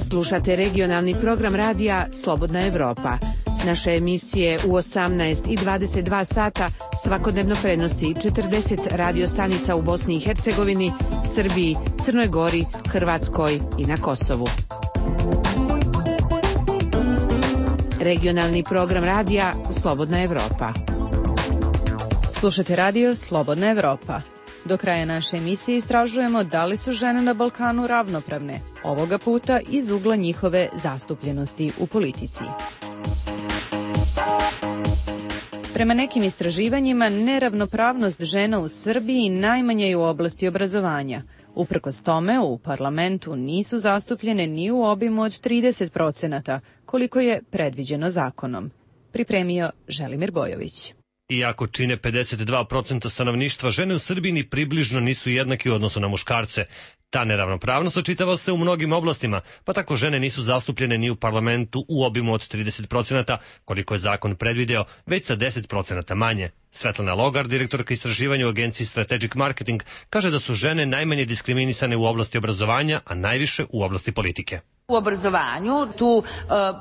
Slušate regionalni program radija Slobodna Evropa. Naše emisije u osamnaest i dvadeset dva sata svakodnevno prenosi četrdeset radio stanica u Bosni i Hercegovini, Srbiji, Crnoj Gori, Hrvatskoj i na Kosovu. Regionalni program radija Slobodna Evropa. Slušate radio Slobodna Evropa. Do kraja naše emisije istražujemo da li su žene na Balkanu ravnopravne, ovoga puta iz ugla njihove zastupljenosti u politici. Prema nekim istraživanjima, neravnopravnost žena u Srbiji najmanje je u oblasti obrazovanja. Uprkos tome, u parlamentu nisu zastupljene ni u obimu od trideset procenata, koliko je predviđeno zakonom. Pripremio Želimir Bojović. Iako čine pedeset dva posto stanovništva, žene u Srbiji ni približno nisu jednake u odnosu na muškarce. Ta neravnopravnost očitava se u mnogim oblastima, pa tako žene nisu zastupljene ni u parlamentu u obimu od trideset procenata, koliko je zakon predvideo, već sa deset procenata manje. Svetlana Logar, direktorka istraživanja u agenciji Strategic Marketing, kaže da su žene najmanje diskriminisane u oblasti obrazovanja, a najviše u oblasti politike. U obrazovanju tu uh,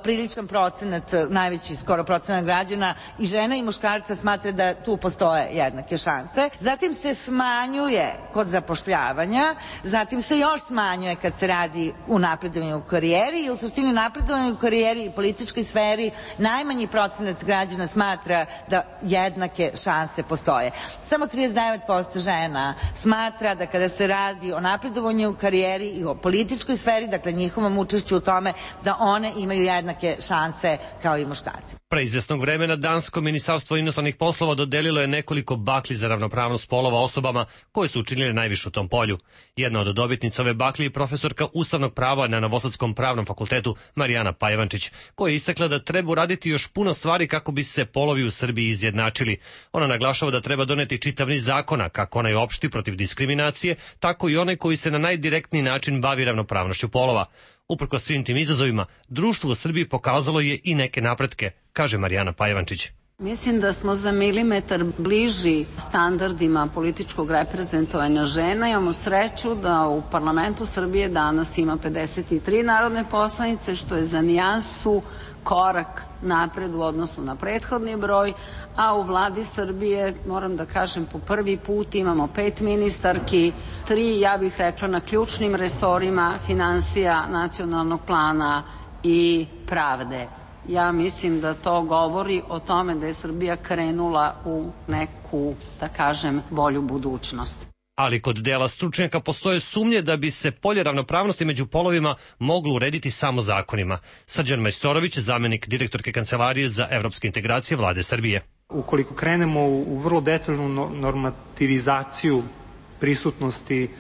priličan procenat, najveći skoro procenat građana i žena i muškarca smatra da tu postoje jednake šanse. Zatim se smanjuje kod zapošljavanja, zatim se još smanjuje kad se radi u napredovanju u karijeri i u suštini napredovanju u karijeri i političkoj sferi najmanji procenat građana smatra da jednake šanse postoje. Samo trideset devet posto žena smatra da kada se radi o napredovanju u karijeri i o političkoj sferi, dakle njihovom učešću u tome, da one imaju jednake šanse kao i muškarci. Pre izvesnog vremena Dansko ministarstvo inostranih poslova dodelilo je nekoliko bakli za ravnopravnost polova osobama koje su učinile najviše u tom polju. Jedna od dobitnica ove bakli je profesorka ustavnog prava na Novosadskom pravnom fakultetu Marijana Pajvančić, koja je istakla da treba uraditi još puno stvari kako bi se polovi u Srbiji izjednačili. Ona naglašava da treba doneti čitav niz zakona, kako onaj opšti protiv diskriminacije, tako i onaj koji se na najdirektniji način bavi ravnopravnošću polova. Uprkos svim tim izazovima, društvo u Srbiji pokazalo je i neke napretke, kaže Marijana Pajvančić. Mislim da smo za milimetar bliži standardima političkog reprezentovanja žena. Imamo sreću da u parlamentu Srbije danas ima pedeset tri narodne poslanice, što je za nijansu korak napred u odnosu na prethodni broj, a u vladi Srbije, moram da kažem, po prvi put imamo pet ministarki, tri, ja bih rekla, na ključnim resorima finansija, nacionalnog plana i pravde. Ja mislim da to govori o tome da je Srbija krenula u neku, da kažem, bolju budućnost. Ali kod dela stručnjaka postoje sumnje da bi se polje ravnopravnosti među polovima moglo urediti samo zakonima. Srđan Majstorović, zamenik direktorke Kancelarije za evropske integracije vlade Srbije. Ukoliko krenemo u vrlo detaljnu normativizaciju prisutnosti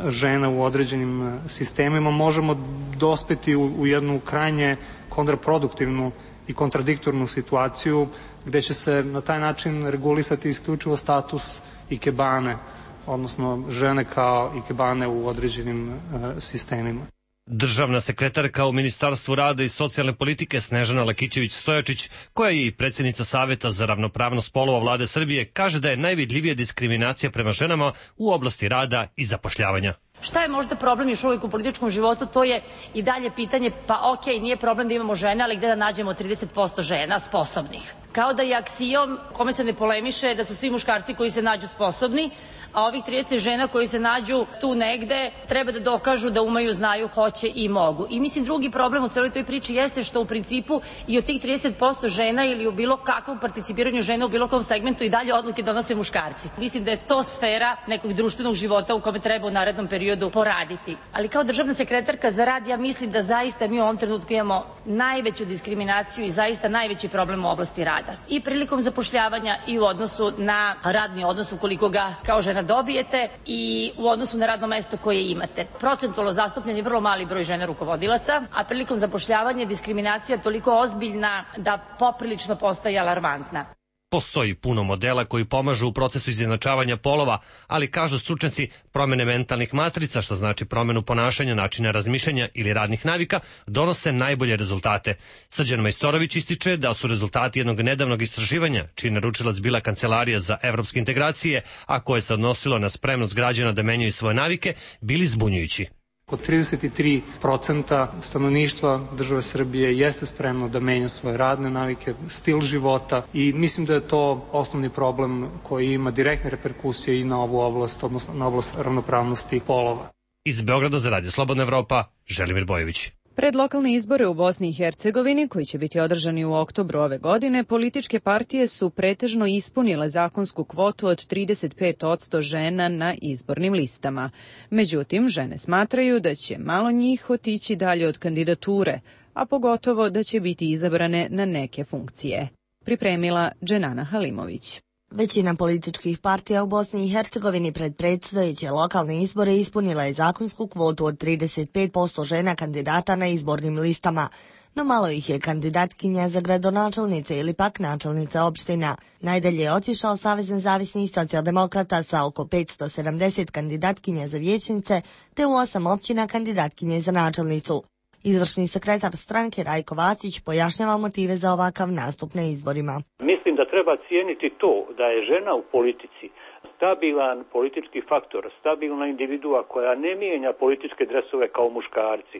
žena u određenim sistemima, možemo dospeti u jednu krajnje kontraproduktivnu i kontradiktornu situaciju gde će se na taj način regulisati isključivo status ikebane, odnosno žene kao ikebane u određenim uh, sistemima. Državna sekretarka u Ministarstvu rada i socijalne politike Snežana Lakićević-Stojačić, koja je i predsjednica Saveta za ravnopravnost polova vlade Srbije, kaže da je najvidljivija diskriminacija prema ženama u oblasti rada i zapošljavanja. Šta je možda problem još uvijek u političkom životu, to je i dalje pitanje, pa ok, nije problem da imamo žene, ali gde da nađemo trideset posto žena sposobnih? Kao da je aksijom kome se ne polemiše da su svi muškarci koji se nađu sposobni, a ovih trideset žena koji se nađu tu negde treba da dokažu da umeju, znaju, hoće i mogu. I mislim drugi problem u celoj toj priči jeste što u principu i od tih trideset posto žena ili u bilo kakvom participiranju žena u bilo kom segmentu i dalje odluke donose muškarci. Mislim da je to sfera nekog društvenog života u kome treba u narednom periodu poraditi. Ali kao državna sekretarka za rad ja mislim da zaista mi u ovom trenutku imamo najveću diskriminaciju i zaista najveći problem u oblasti rada. I prilikom zapošljavanja i u odnosu na radni odnos ukoliko ga kao žena dobijete i u odnosu na radno mesto koje imate. Procentualno zastupljen je vrlo mali broj žena rukovodilaca, a prilikom zapošljavanja diskriminacija toliko ozbiljna da poprilično postaje alarmantna. Postoji puno modela koji pomažu u procesu izjednačavanja polova, ali kažu stručnjaci, promene mentalnih matrica, što znači promenu ponašanja, načina razmišljanja ili radnih navika, donose najbolje rezultate. Srđan Majstorović ističe da su rezultati jednog nedavnog istraživanja, čiji naručilac bila Kancelarija za evropske integracije, a koje se odnosilo na spremnost građana da menjaju svoje navike, bili zbunjujući. Oko trideset tri procenta stanovništva države Srbije jeste spremno da menja svoje radne navike, stil života i mislim da je to osnovni problem koji ima direktne reperkusije i na ovu oblast, odnosno na oblast ravnopravnosti polova. Iz Beograda za Radio Slobodna Evropa, Želimir Bojović. Pred lokalne izbore u Bosni i Hercegovini, koji će biti održani u oktobru ove godine, političke partije su pretežno ispunile zakonsku kvotu od trideset pet posto žena na izbornim listama. Međutim, žene smatraju da će malo njih otići dalje od kandidature, a pogotovo da će biti izabrane na neke funkcije. Pripremila Dženana Halimović. Većina političkih partija u Bosni i Hercegovini pred predstojeće lokalne izbore ispunila je zakonsku kvotu od trideset pet posto žena kandidata na izbornim listama, no malo ih je kandidatkinja za gradonačelnice ili pak načelnice opština. Najdalje je otišao Savez nezavisnih socijaldemokrata sa oko petsto sedamdeset kandidatkinja za vijećnice, te u osam općina kandidatkinje za načelnicu. Izvršni sekretar stranke Rajko Vasić pojašnjava motive za ovakav nastup na izborima. Mislim da treba cijeniti to da je žena u politici stabilan politički faktor, stabilna individua koja ne mijenja političke dresove kao muškarci,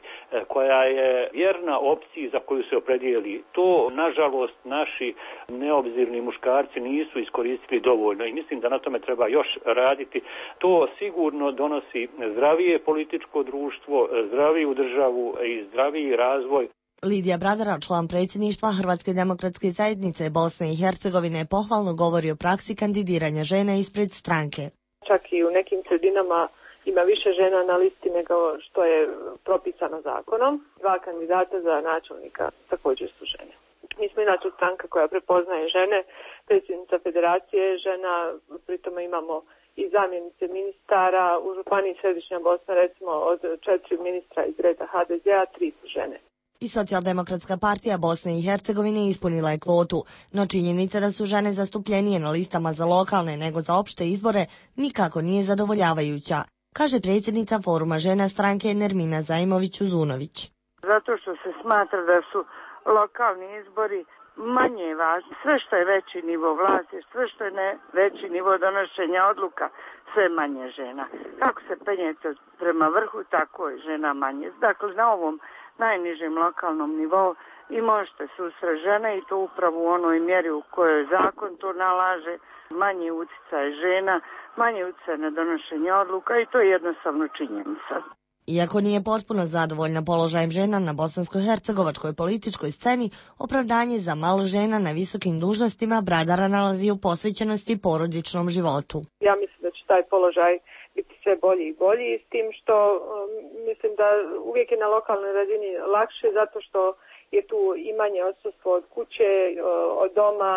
koja je vjerna opciji za koju se opredijeli. To, nažalost, naši neobzirni muškarci nisu iskoristili dovoljno i mislim da na tome treba još raditi. To sigurno donosi zdravije političko društvo, zdraviju državu i zdraviji razvoj. Lidija Bradara, član predsjedništva Hrvatske demokratske zajednice Bosne i Hercegovine, pohvalno govori o praksi kandidiranja žena ispred stranke. Čak i u nekim sredinama ima više žena na listi nego što je propisano zakonom. Dva kandidata za načelnika također su žene. Mi smo inače stranka koja prepoznaje žene, predsjednica federacije je žena, pritome imamo i zamjenice ministara. U županiji Središnja Bosna recimo od četiri ministra iz reda ha de zea, tri su žene. I Socijaldemokratska partija Bosne i Hercegovine ispunila je kvotu, no činjenica da su žene zastupljenije na listama za lokalne nego za opšte izbore nikako nije zadovoljavajuća, kaže predsjednica Foruma žena stranke Nermina Zajmović-Uzunović. Zato što se smatra da su lokalni izbori manje važni. Sve što je veći nivo vlasti, sve što je ne veći nivo donošenja odluka, sve manje žena. Kako se penjete prema vrhu, tako je žena manje. Dakle, na ovom najnižem lokalnom nivou i možete susreti žene i to upravo u onoj mjeri u kojoj zakon to nalaže, manje utjecaj žena, manje utjecaj na donošenje odluka i to je jednostavno činjenica. Iako nije potpuno zadovoljna položajem žena na bosansko-hercegovačkoj političkoj sceni, opravdanje za malo žena na visokim dužnostima Bradara nalazi u posvećenosti porodičnom životu. Ja mislim da će taj položaj biti sve bolji i bolji, s tim što um, mislim da uvijek je na lokalnoj razini lakše zato što je tu i manje odsustvo od kuće, od doma,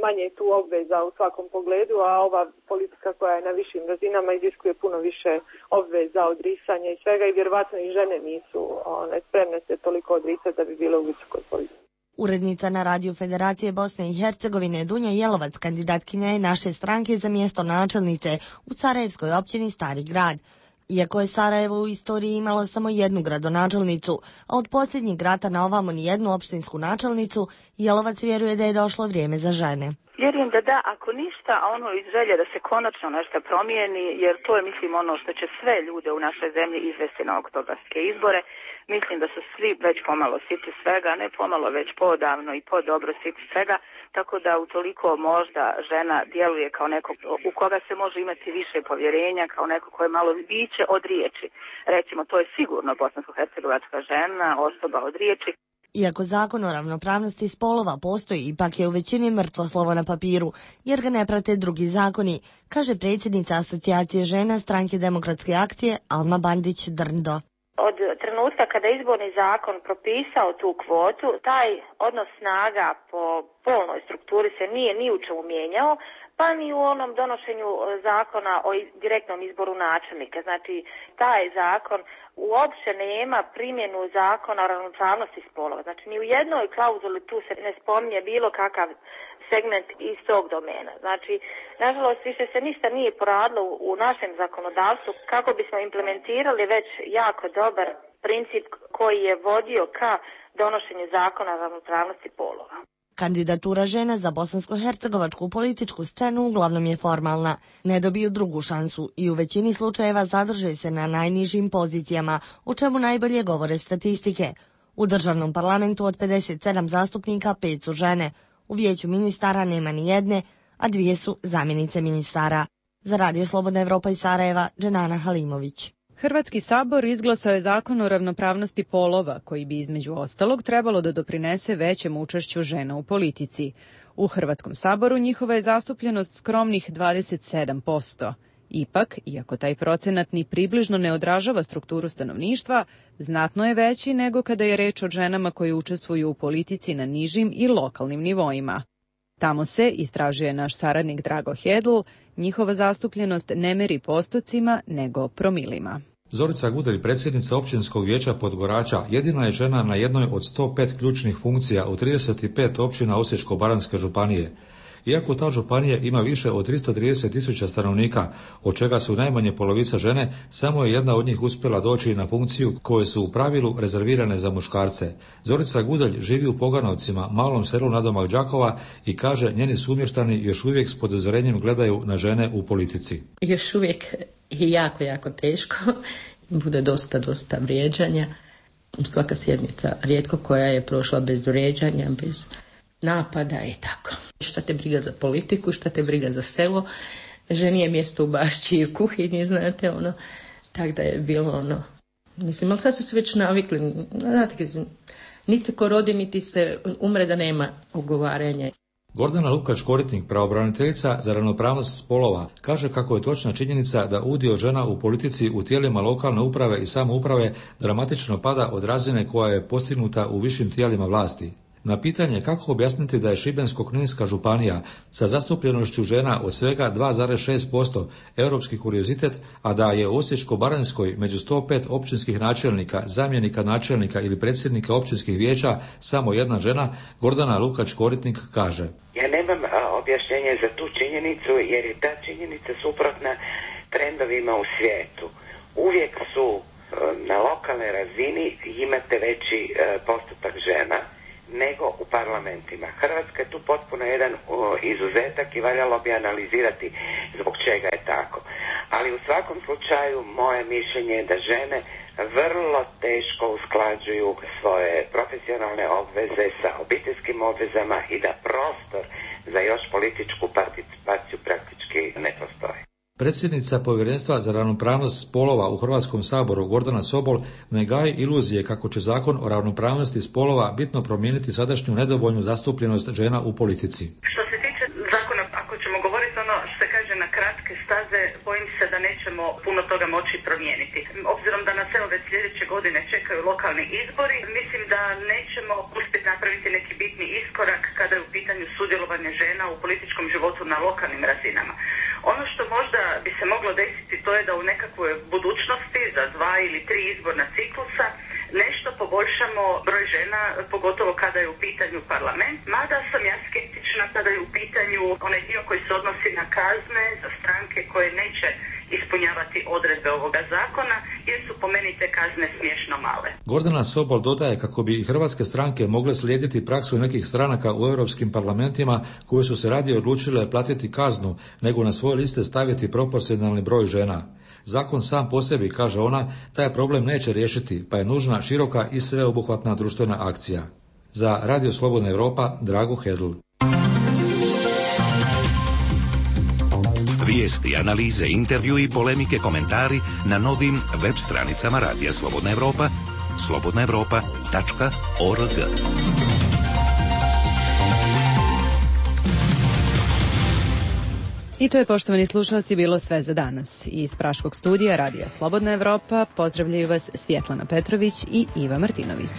manje je tu obveza u svakom pogledu, a ova politika koja je na višim razinama iziskuje puno više obveza, odricanja i svega i vjerovatno i žene nisu one, spremne se toliko odricati da bi bile u visokoj politici. Urednica na radiju Federacije Bosne i Hercegovine Dunja Jelovac kandidatkinja je naše stranke za mjesto načelnice u Sarajevskoj općini Stari Grad. Iako je Sarajevo u istoriji imalo samo jednu gradonačelnicu, a od posljednjeg rata na ovamo ni jednu opštinsku načelnicu, Jelovac vjeruje da je došlo vrijeme za žene. Vjerujem da da, ako ništa, a ono iz želje da se konačno nešto promijeni, jer to je, mislim, ono što će sve ljude u našoj zemlji izvesti na oktobarske izbore. Mislim da su svi već pomalo siti svega, ne pomalo već podavno i podobro siti svega, tako da utoliko možda žena djeluje kao neko u koga se može imati više povjerenja, kao neko koje malo biće od riječi. Recimo, to je sigurno bosansko-hercegovačka žena, osoba od riječi. Iako zakon o ravnopravnosti spolova postoji, ipak je u većini mrtvo slovo na papiru, jer ga ne prate drugi zakoni, kaže predsjednica Asocijacije žena Stranke demokratske akcije Alma Bandić-Drndo. Od trenutka kada je izborni zakon propisao tu kvotu, taj odnos snaga po polnoj strukturi se nije ni u čemu mijenjao, pa ni u onom donošenju zakona o direktnom izboru načelnika. Znači, taj zakon uopće nema primjenu zakona o ravnopravnosti spolova. Znači, ni u jednoj klauzuli tu se ne spominje bilo kakav segment iz tog domena. Znači, nažalost, više se ništa nije poradilo u našem zakonodavstvu kako bismo implementirali već jako dobar princip koji je vodio ka donošenju zakona o ravnopravnosti polova. Kandidatura žena za bosansko-hercegovačku političku scenu uglavnom je formalna. Ne dobiju drugu šansu i u većini slučajeva zadrže se na najnižim pozicijama, o čemu najbolje govore statistike. U državnom parlamentu od pedeset sedam zastupnika pet su žene. U vijeću ministara nema ni jedne, a dvije su zamjenice ministara. Za Radio Slobodna Evropa iz Sarajeva, Dženana Halimović. Hrvatski sabor izglasao je zakon o ravnopravnosti polova, koji bi između ostalog trebalo da doprinese većem učešću žena u politici. U Hrvatskom saboru njihova je zastupljenost skromnih dvadeset sedam posto. Ipak, iako taj procenat ni približno ne odražava strukturu stanovništva, znatno je veći nego kada je reč o ženama koje učestvuju u politici na nižim i lokalnim nivoima. Tamo se, istražuje naš saradnik Drago Hedl, njihova zastupljenost ne meri postocima, nego promilima. Zorica Gudelj, predsjednica općinskog vijeća Podgorača, jedina je žena na jednoj od sto pet ključnih funkcija u trideset pet općina Osječko-baranjske županije. Iako ta županija ima više od tristo trideset tisuća stanovnika, od čega su najmanje polovica žene, samo je jedna od njih uspjela doći na funkciju koje su u pravilu rezervirane za muškarce. Zorica Gudelj živi u Poganovcima, malom selu nadomak Đakova, i kaže njeni sumještani još uvijek s podozorenjem gledaju na žene u politici. Još uvijek je jako, jako teško. Bude dosta, dosta vrijeđanja. Svaka sjednica, rijetko koja je prošla bez vrijeđanja, bez napada i tako. Šta te briga za politiku, šta te briga za selo. Ženi je mjesto u bašći i u kuhinji, znate, ono. Tako da je bilo ono. Mislim, ali sad su se već navikli. Znate, niti se ko rodi, niti se umre da nema ugovaranja. Gordana Lukač-Koritnik, pravobraniteljica za ravnopravnost spolova, kaže kako je točna činjenica da udio žena u politici u tijelima lokalne uprave i samouprave dramatično pada od razine koja je postignuta u višim tijelima vlasti. Na pitanje kako objasniti da je Šibensko-kninska županija sa zastupljenošću žena od svega dva zarez šest posto europski kuriozitet, a da je u Osječko-baranjskoj među sto pet općinskih načelnika, zamjenika načelnika ili predsjednika općinskih vijeća samo jedna žena, Gordana Lukač-Koritnik kaže: Ja nemam a, objašnjenje za tu činjenicu, jer je ta činjenica suprotna trendovima u svijetu. Uvijek su a, na lokalnoj razini imate veći a, postotak žena nego u parlamentima. Hrvatska je tu potpuno jedan o, izuzetak i valjalo bi analizirati zbog čega je tako. Ali u svakom slučaju moje mišljenje je da žene vrlo teško usklađuju svoje profesionalne obveze sa obiteljskim obvezama i da prostor za još političku participaciju praktički ne postoji. Predsjednica Povjerenstva za ravnopravnost spolova u Hrvatskom saboru Gordana Sobol ne gaji iluzije kako će zakon o ravnopravnosti spolova bitno promijeniti sadašnju nedovoljnu zastupljenost žena u politici. Što se tiče zakona, ako ćemo govoriti ono što se kaže na kratke staze, bojim se da nećemo puno toga moći promijeniti. Obzirom da nas evo već sljedeće godine čekaju lokalni izbori, mislim da nećemo uspjeti napraviti neki bitni iskorak kada je u pitanju sudjelovanje žena u političkom životu na lokalnim razinama. Ono što možda bi se moglo desiti, to je da u nekakvoj budućnosti za dva ili tri izborna ciklusa nešto poboljšamo broj žena, pogotovo kada je u pitanju parlament, mada sam ja skeptična kada je u pitanju onaj dio koji se odnosi na kazne za stranke koje neće ispunjavati odredbe ovoga zakona, jer su po meni te kazne smiješno male. Gordana Sobol dodaje kako bi i hrvatske stranke mogle slijediti praksu nekih stranaka u europskim parlamentima koje su se radije odlučile platiti kaznu nego na svoje liste staviti proporcionalni broj žena. Zakon sam po sebi, kaže ona, taj problem neće riješiti, pa je nužna široka i sveobuhvatna društvena akcija. Za Radio Slobodna Evropa, Drago Hedl. Vijesti, analize, intervju i polemike, komentari na novim web stranicama Radija Slobodna Evropa, slobodna evropa tačka org. I to je, poštovani slušalci, bilo sve za danas. Iz Praškog studija Radija Slobodna Evropa pozdravljaju vas Svjetlana Petrović i Iva Martinović.